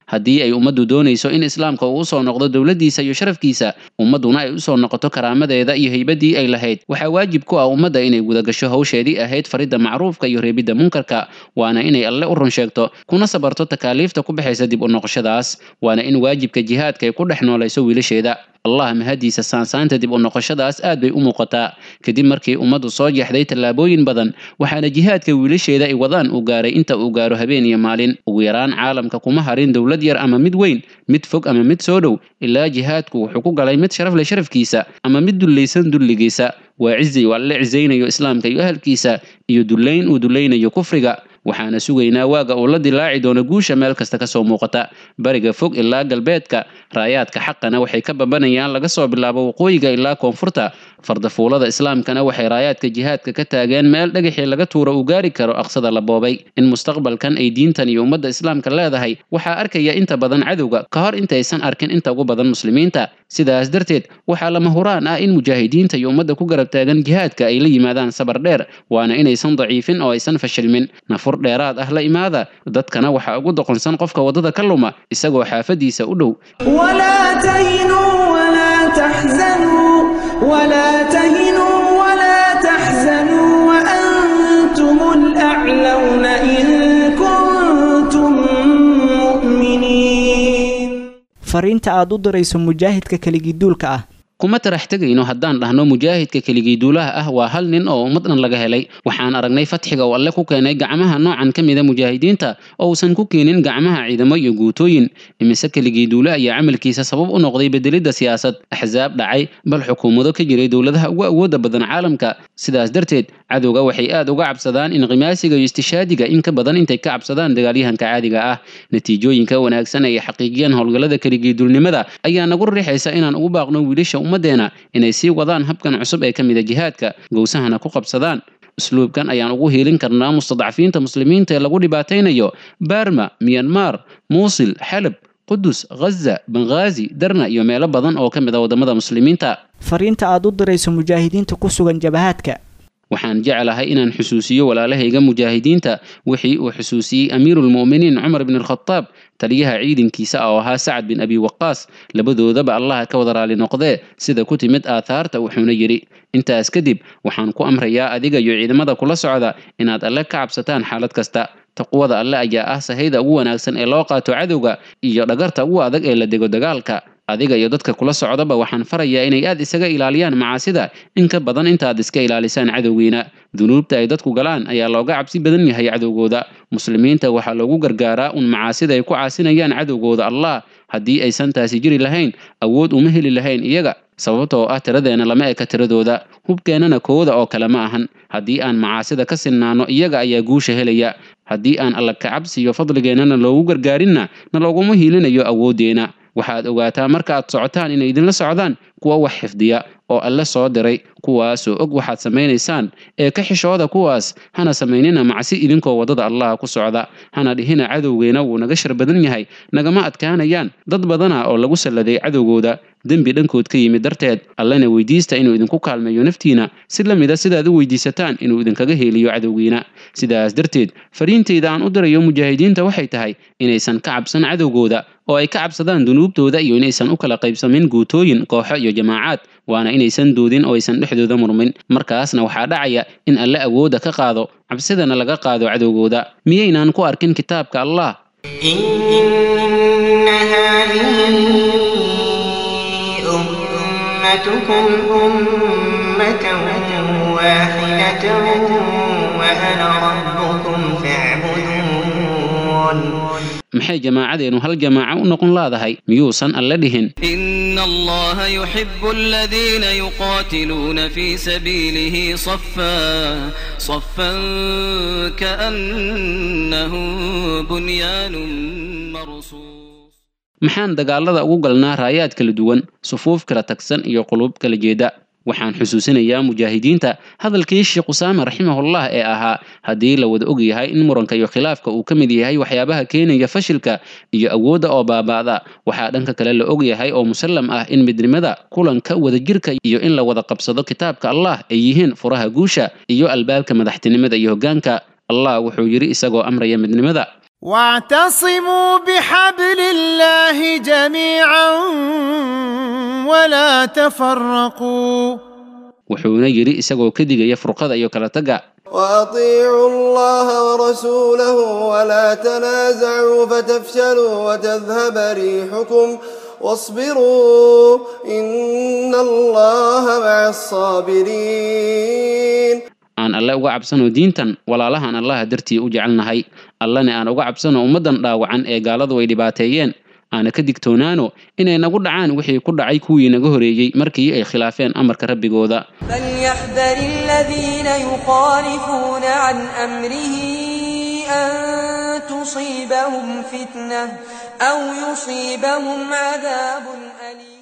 B: Haddii ay ummaddu doonayso in islaamka uu usoo noqdo dowladdiisa iyo sharafkiisa, ummadduna ay usoo noqoto karaamadeeda iyo haybaddii ay lahayd, waxaa waajib ku ah ummadda inay gudagasho hawsheedii ahayd faridda macruufka iyo reebidda munkarka, waana inay alle u run sheegto kuna sabarto takaaliifta ku baxaysa dib u noqoshadaas, waana in waajibka jihaadka ay ku dhex noolayso wiilasheeda. Allah mahadiisa, saansaanta dib u noqoshadaas aad bay u muuqataa kadib markii ummaddu soo jeexday tallaabooyin badan, waxaana jihaadka wiilasheeda ay wadaan uu gaaray inta uu gaaro habeen iyo maalin. Ugu yaraan caalamka kuma harin dowlad yar ama mid weyn, mid fog ama mid soo dhow, ilaa jihaadku wuxuu ku galay mid sharaf leh sharafkiisa ama mid dullaysan dulligiisa. Waa cizi uu alle cizaynayo islaamka iyo ahalkiisa iyo dullayn uu dullaynayo kufriga. Waxaana sugaynaa waaga uu la dilaaci doono guusha meel kasta kasoo muuqata, bariga fog ilaa galbeedka. Raayaadka xaqana waxay ka babanayaan laga soo bilaabo waqooyiga ilaa koonfurta. Fardafuulada islaamkana waxay raayaadka jihaadka ka taageen meel dhagaxii laga tuuro uu gaari karo aqsada la boobay. In mustaqbalkan ay diintan iyo ummadda islaamka leedahay waxaa arkaya inta badan cadowga ka hor intaysan arkin inta ugu badan muslimiinta. Sidaas darteed waxaa lama huraan ah in mujaahidiinta iyo ummadda ku garab taagan jihaadka ay la yimaadaan sabar dheer, waana inaysan daciifin oo aysan fashilmin. Nafur dheeraad ah la imaada, dadkana waxaa ugu doqonsan qofka waddada ka luma isagoo xaafadiisa u dhow.
Q: ولا تهنوا ولا تحزنوا ولا تهنوا ولا تحزنوا وأنتم الأعلون إن كنتم مؤمنين.
H: Fariinta aad u dirayso mujaahidka keligiiduulka ah.
B: Kuma tarax tegayno haddaan dhahno mujaahidka keligii duulaha ah waa hal nin oo ummad dhan laga helay. Waxaan aragnay fatxiga uu alle ku keenay gacmaha noocan ka mida mujaahidiinta oo uusan ku keenin gacmaha ciidamo iyo guutooyin. Imise keligii duule ayaa camalkiisa sabab u noqday bedelidda siyaasad, axsaab dhacay, bal xukuumado ka jiray dowladaha ugu awoodda badan caalamka. Sidaas darteed cadowga waxay aad uga cabsadaan inqimaasiga iyo istishaadiga in ka badan intay ka cabsadaan dagaalyahanka caadiga ah. Natiijooyinka wanaagsan ay xaqiijiyeen howlgallada keligii duulnimada ayaa nagu riixaysa inaan ugu baaqno wiilasha ummaddeena inay sii wadaan habkan cusub ee ka mida jihaadka, gowsahana ku qabsadaan. Usluubkan ayaan ugu hiilin karnaa mustadcafiinta muslimiinta ee lagu dhibaataynayo Barma, Myanmar, Muusil, Xalab, Qudus, Ghaza, Benghazi, Darna iyo meelo badan oo ka mid ah waddamada muslimiinta.
H: Fariinta aad u dirayso mujaahidiinta ku sugan jabahaadka.
B: Waxaan jeclahay inaan xusuusiyo walaalahayga mujaahidiinta wixii uu xusuusiyey amiirulmu'miniin Cumar ibn Alkhataab taliyaha ciidankiisa oo ahaa Sacad bin Abi Waqaas, labadoodaba Allaha ka wada raali noqdee, sida ku timid aathaarta. Wuxuuna yidhi: intaas kadib waxaan ku amrayaa adiga iyo ciidamada kula socda inaad alle ka cabsataan xaalad kasta. Taqwada alle ayaa ah sahayda ugu wanaagsan ee loo qaato cadowga iyo dhagarta ugu adag ee la dego dagaalka. Adiga iyo dadka kula socdaba waxaan farayaa inay aad isaga ilaaliyaan macaasida in ka badan intaad iska ilaalisaan cadowgiina. Dunuubta ay dadku galaan ayaa looga cabsi badan yahay cadowgooda. Muslimiinta waxaa loogu gargaaraa un macaasida ay ku caasinayaan cadowgooda Allah. Haddii aysan taasi jiri lahayn, awood uma heli lahayn iyaga, sababtoo ah tiradeena lama eka tiradooda, hubkeennana kooda oo kale ma ahan. Haddii aan macaasida ka sinnaano, iyaga ayaa guusha helaya. Haddii aan alla ka cabsiyo fadligeennana loogu gargaarinna, na looguma hiilinayo awooddeena. Waxaad ogaataa marka aad socotaan inay idinla socdaan kuwa wax xifdiya oo alle soo diray, kuwaasoo og waxaad samaynaysaan. Ee ka xishooda kuwaas, hana samaynina macsi idinkoo waddada Allah ku socda. Hana dhihina cadowgeena wuu naga shar badan yahay, nagama adkaanayaan. Dad badana oo lagu salladay cadowgooda dembi dhankood ka yimid darteed. Allena weydiista inuu idinku kaalmeeyo naftiina si la mida sidaad u weydiisataan inuu idinkaga heeliyo cadowgiina. Sidaas darteed fariintayda aan u dirayo mujaahidiinta waxay tahay inaysan ka cabsan cadowgooda oo ay ka cabsadaan dunuubtooda, iyo inaysan u kala qaybsamin guutooyin, kooxo iyo jamaacaad, waana inaysan doodin oo aysan dhexdooda murmin. Markaasna waxaa dhacaya in alle awoodda ka qaado, cabsidana laga qaado cadowgooda. Miyaynaan ku arkin kitaabka Allah?
D: إن هذه أمتكم أمة واحدة وأنا ربكم فاعبدون.
B: Maxay jamaacadeenu hal jamaaco u noqon laadahay? Miyuusan alle dhihin:
A: إن الله يحب الذين يقاتلون في سبيله صفا صفا كأنهم بنيان مرصوص.
B: Maxaan dagaalada ugu galnaa raayaad kala duwan, sufuuf kala tagsan iyo quluub kala jeeda?
I: Waxaan xusuusinayaa mujaahidiinta hadalkii Sheekh Usaama raximahullah ee ahaa haddii la wada og yahay in muranka iyo khilaafka uu ka mid yahay waxyaabaha keenaya fashilka iyo awoodda oo baaba'da, waxaa dhanka kale la og yahay oo musallam ah in midnimada, kulanka, wadajirka iyo in la wada qabsado kitaabka Allah ay yihiin furaha guusha iyo albaabka madaxtinimada iyo hoggaanka. Allah wuxuu yidhi isagoo amraya midnimada:
R: واعتصموا بحبل الله جميعا ولا تفرقوا.
I: Wuxuuna yidhi isagoo ka digaya furqada iyo kala tagga:
O: وأطيعوا الله ورسوله ولا تنازعوا فتفشلوا وتذهب ريحكم واصبروا إن الله مع الصابرين.
I: Aan Alle uga cabsano diintan, walaalahaan Allaha dartii u jecelnahay, Allana aan uga cabsano ummaddan dhaawacan ee gaaladu ay dhibaateeyeen, aana ka digtoonaano inay nagu dhacaan wixii ku dhacay kuwii naga horeeyey markii ay khilaafeen amarka rabbigooda.
M: فليحذر الذين يخالفون عن أمره أن تصيبهم فتنة أو يصيبهم عذاب أليم.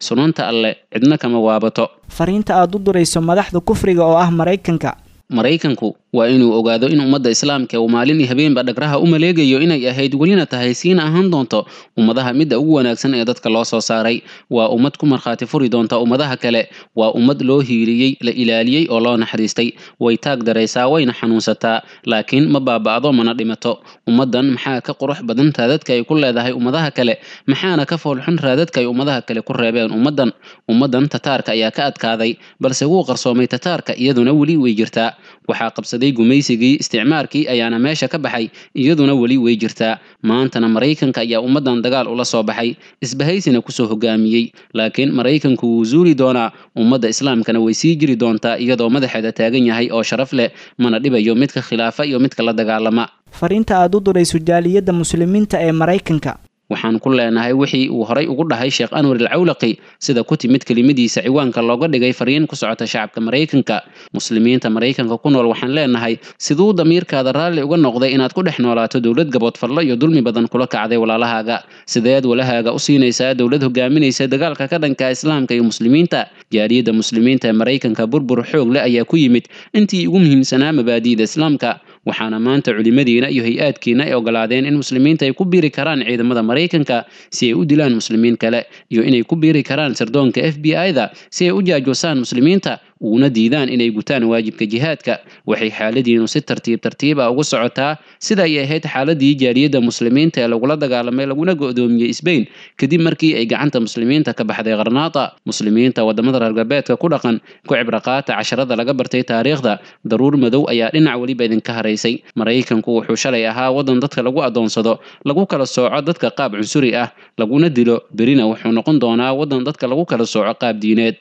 I: Sunanta Alle cidna kama waabato.
H: Fariinta aad u dirayso madaxda kufriga oo ah Maraykanka.
I: Maraykanku waa inuu ogaado in ummadda islaamka uu maalin iyo habeenba dhagraha u maleegayo inay ahayd, welina tahay, siina ahaan doonto ummadaha midda ugu wanaagsan ee dadka loo soo saaray. Waa ummad ku markhaati furi doonta ummadaha kale. Waa ummad loo hiiliyey, la ilaaliyey oo loo naxariistay. Way taag daraysaa, wayna xanuunsataa, laakiin ma baaba'do mana dhimato. Ummaddan maxaa ka qurux badan raadadka ay ku leedahay ummadaha kale, maxaana ka foolxun raadadka ay ummadaha kale ku reebeen ummaddan? Ummaddan Tataarka ayaa ka adkaaday, balse wuu qarsoomay Tataarka, iyaduna weli way jirtaa. Waxaa qabsaday gumaysigii isticmaarkii ayaana meesha ka baxay, iyaduna weli way jirtaa. Maantana Maraykanka ayaa ummaddan dagaal ula soo baxay, isbahaysina kusoo hogaamiyey, laakiin Maraykanku wuu zuuli doonaa, ummadda islaamkana way sii jiri doontaa iyadoo madaxeeda taagan yahay oo sharaf leh, mana dhibayo midka khilaafa iyo midka la dagaalama.
H: Fariinta aad u dirayso jaaliyadda muslimiinta ee Maraykanka.
I: Waxaan ku leenahay wixii uu horay ugu dhahay Sheekh Anwar Alcawlaqi, sida ku timid kelimadiisa ciwaanka looga dhigay fariin ku socota shacabka Maraykanka. Muslimiinta Maraykanka ku nool waxaan leenahay: siduu damiirkaada raalli uga noqday inaad ku dhex noolaato dowlad gaboodfallo iyo dulmi badan kula kacday walaalahaaga? Sideed walahaaga u siinaysaa dowlad hogaaminaysa dagaalka ka dhanka islaamka iyo muslimiinta? Jaaliyadda muslimiinta ee Maraykanka burbur xoog leh ayaa ku yimid intii ugu muhiimsanaa mabaadi'da islaamka, waxaana maanta culimadiina iyo hay-aadkiina ay ogolaadeen in muslimiinta ay ku biiri karaan ciidamada Maraykanka si ay u dilaan muslimiin kale, iyo inay ku biiri karaan sirdoonka F B I-da si ay u jaajoosaan muslimiinta uguna diidaan inay gutaan waajibka jihaadka. Waxay xaaladiinu si tartiib tartiib ah ugu socotaa sida ay ahayd xaaladii jaaliyadda muslimiinta ee lagula dagaalamay laguna go'doomiyey Spain kadib markii ay gacanta muslimiinta ka baxday Qarnaata. Muslimiinta wadamada reer galbeedka ku dhaqan, ku cibro qaata casharada laga bartay taariikhda. Daruur madow ayaa dhinac weliba idinka haraysay. Maraykanku wuxuu shalay ahaa wadan dadka lagu adoonsado, lagu kala sooco dadka qaab cunsuri ah, laguna dilo, berina wuxuu noqon doonaa wadan dadka lagu kala sooco qaab diineed.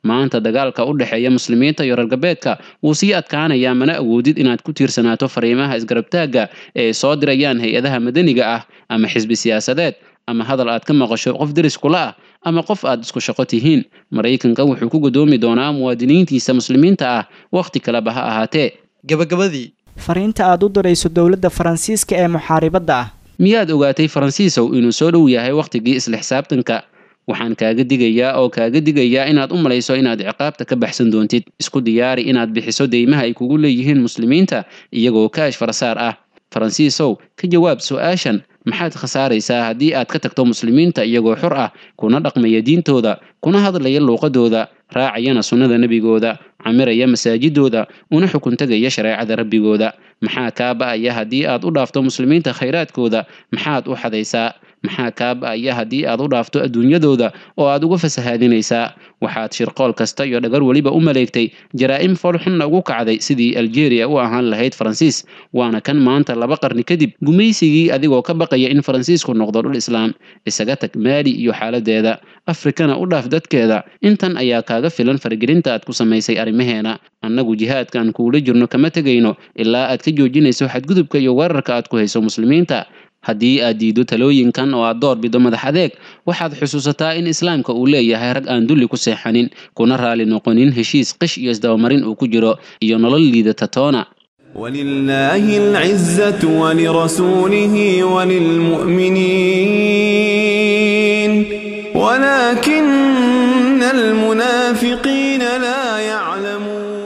I: Maanta dagaalka u dhexeeya muslimiinta iyo reer galbeedka wuu sii adkaanayaa, mana awoodid inaad ku tiirsanaato fariimaha isgarabtaagga ee ay soo dirayaan hay-adaha madaniga ah ama xisbi siyaasadeed ama hadal aad ka maqasho qof deris kula ah ama qof aad isku shaqo tihiin. Maraykanka wuxuu ku gudoomi doonaa muwaadiniintiisa muslimiinta ah wakhti kaleba ha ahaatee.
S: Gabagabadii,
H: Fariinta aad u dirayso dowladda Faransiiska ee muxaaribadda ah.
I: Miyaad ogaatay, Faransiisow, inuu soo dhow yahay wakhtigii isla xisaabtanka? Waxaan kaaga digayaa oo kaaga digayaa inaad u malayso inaad ciqaabta ka baxsan doontid. Isku diyaari inaad bixiso deymaha ay kugu leeyihiin muslimiinta iyagoo kaash farasaar ah. Faransiisow, ka jawaab su-aashan: maxaad khasaaraysaa haddii aad ka tagto muslimiinta iyagoo xor ah, kuna dhaqmaya diintooda, kuna hadlaya luuqadooda, raacayana sunnada nebigooda, camiraya masaajidooda, una xukun tegaya shareecada rabbigooda? Maxaa kaa ba'aya haddii aad u dhaafto muslimiinta khayraadkooda? Maxaad u xadaysaa? Maxaa kaa ba'aya haddii aad u dhaafto adduunyadooda oo aad uga fasahaadinaysaa? Waxaad shirqool kasta iyo dhagar weliba u maleegtay, jaraa'im foolxunna ugu kacday sidii Aljeeriya u ahaan lahayd Faransiis. Waana kan maanta laba qarni kadib gumaysigii, adigoo ka baqaya in Faransiisku noqdo dhul islaam. Isaga tag Maali iyo xaaladeeda, Afrikana u dhaaf dadkeeda. Intan ayaa kaaga filan faragelinta aad ku samaysay arrimaheena. Annagu jihaadkaan kuula jirno kama tegayno ilaa aad ka joojinayso xadgudubka iyo weerarka aad ku hayso muslimiinta. Haddii aad diido talooyinkan oo aad door bido madax adeeg, waxaad xusuusataa in islaamka uu leeyahay rag aan dulli ku seexanin, kuna raali noqonin heshiis qish iyo isdabamarin uu ku jiro iyo nolol liidata toona.
O: ولله العزة ولرسوله وللمؤمنين ولكن المنافقين لا يعلمون.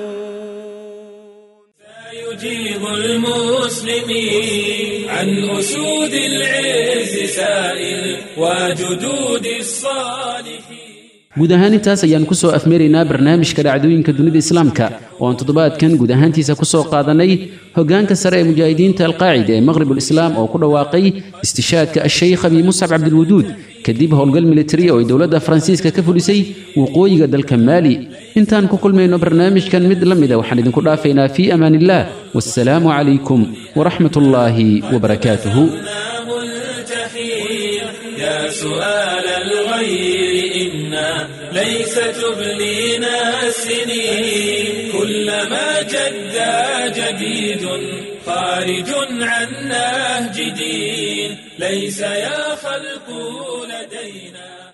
S: يجيب المسلمين عن أسود العز سائل وجدود الصالحين.
B: Guud ahaan intaas ayaan ku soo afmeeraynaa barnaamijka dhacdooyinka dunida islaamka oo aan toddobaadkan guud ahaantiisa ku soo qaadanay hoggaanka sare ee mujaahidiinta alqaacida ee maqribul islaam oo ku dhawaaqay istishaadka asheykh abi muscab cabdilwaduud kadib howlgal militari oo ay dowladda Faransiiska ka fulisay waqooyiga dalka Maali. Intaan ku kulmayno barnaamijkan mid la mid ah waxaan idinku dhaafaynaa fii amaanillaah, wassalaamu calaykum waraxmatullaahi wabarakaatuhu.
S: يا سؤال الغير إنا ليس تبلينا السنين، كلما جد جديد خارج عن نهج دين، ليس يا خلق لدينا.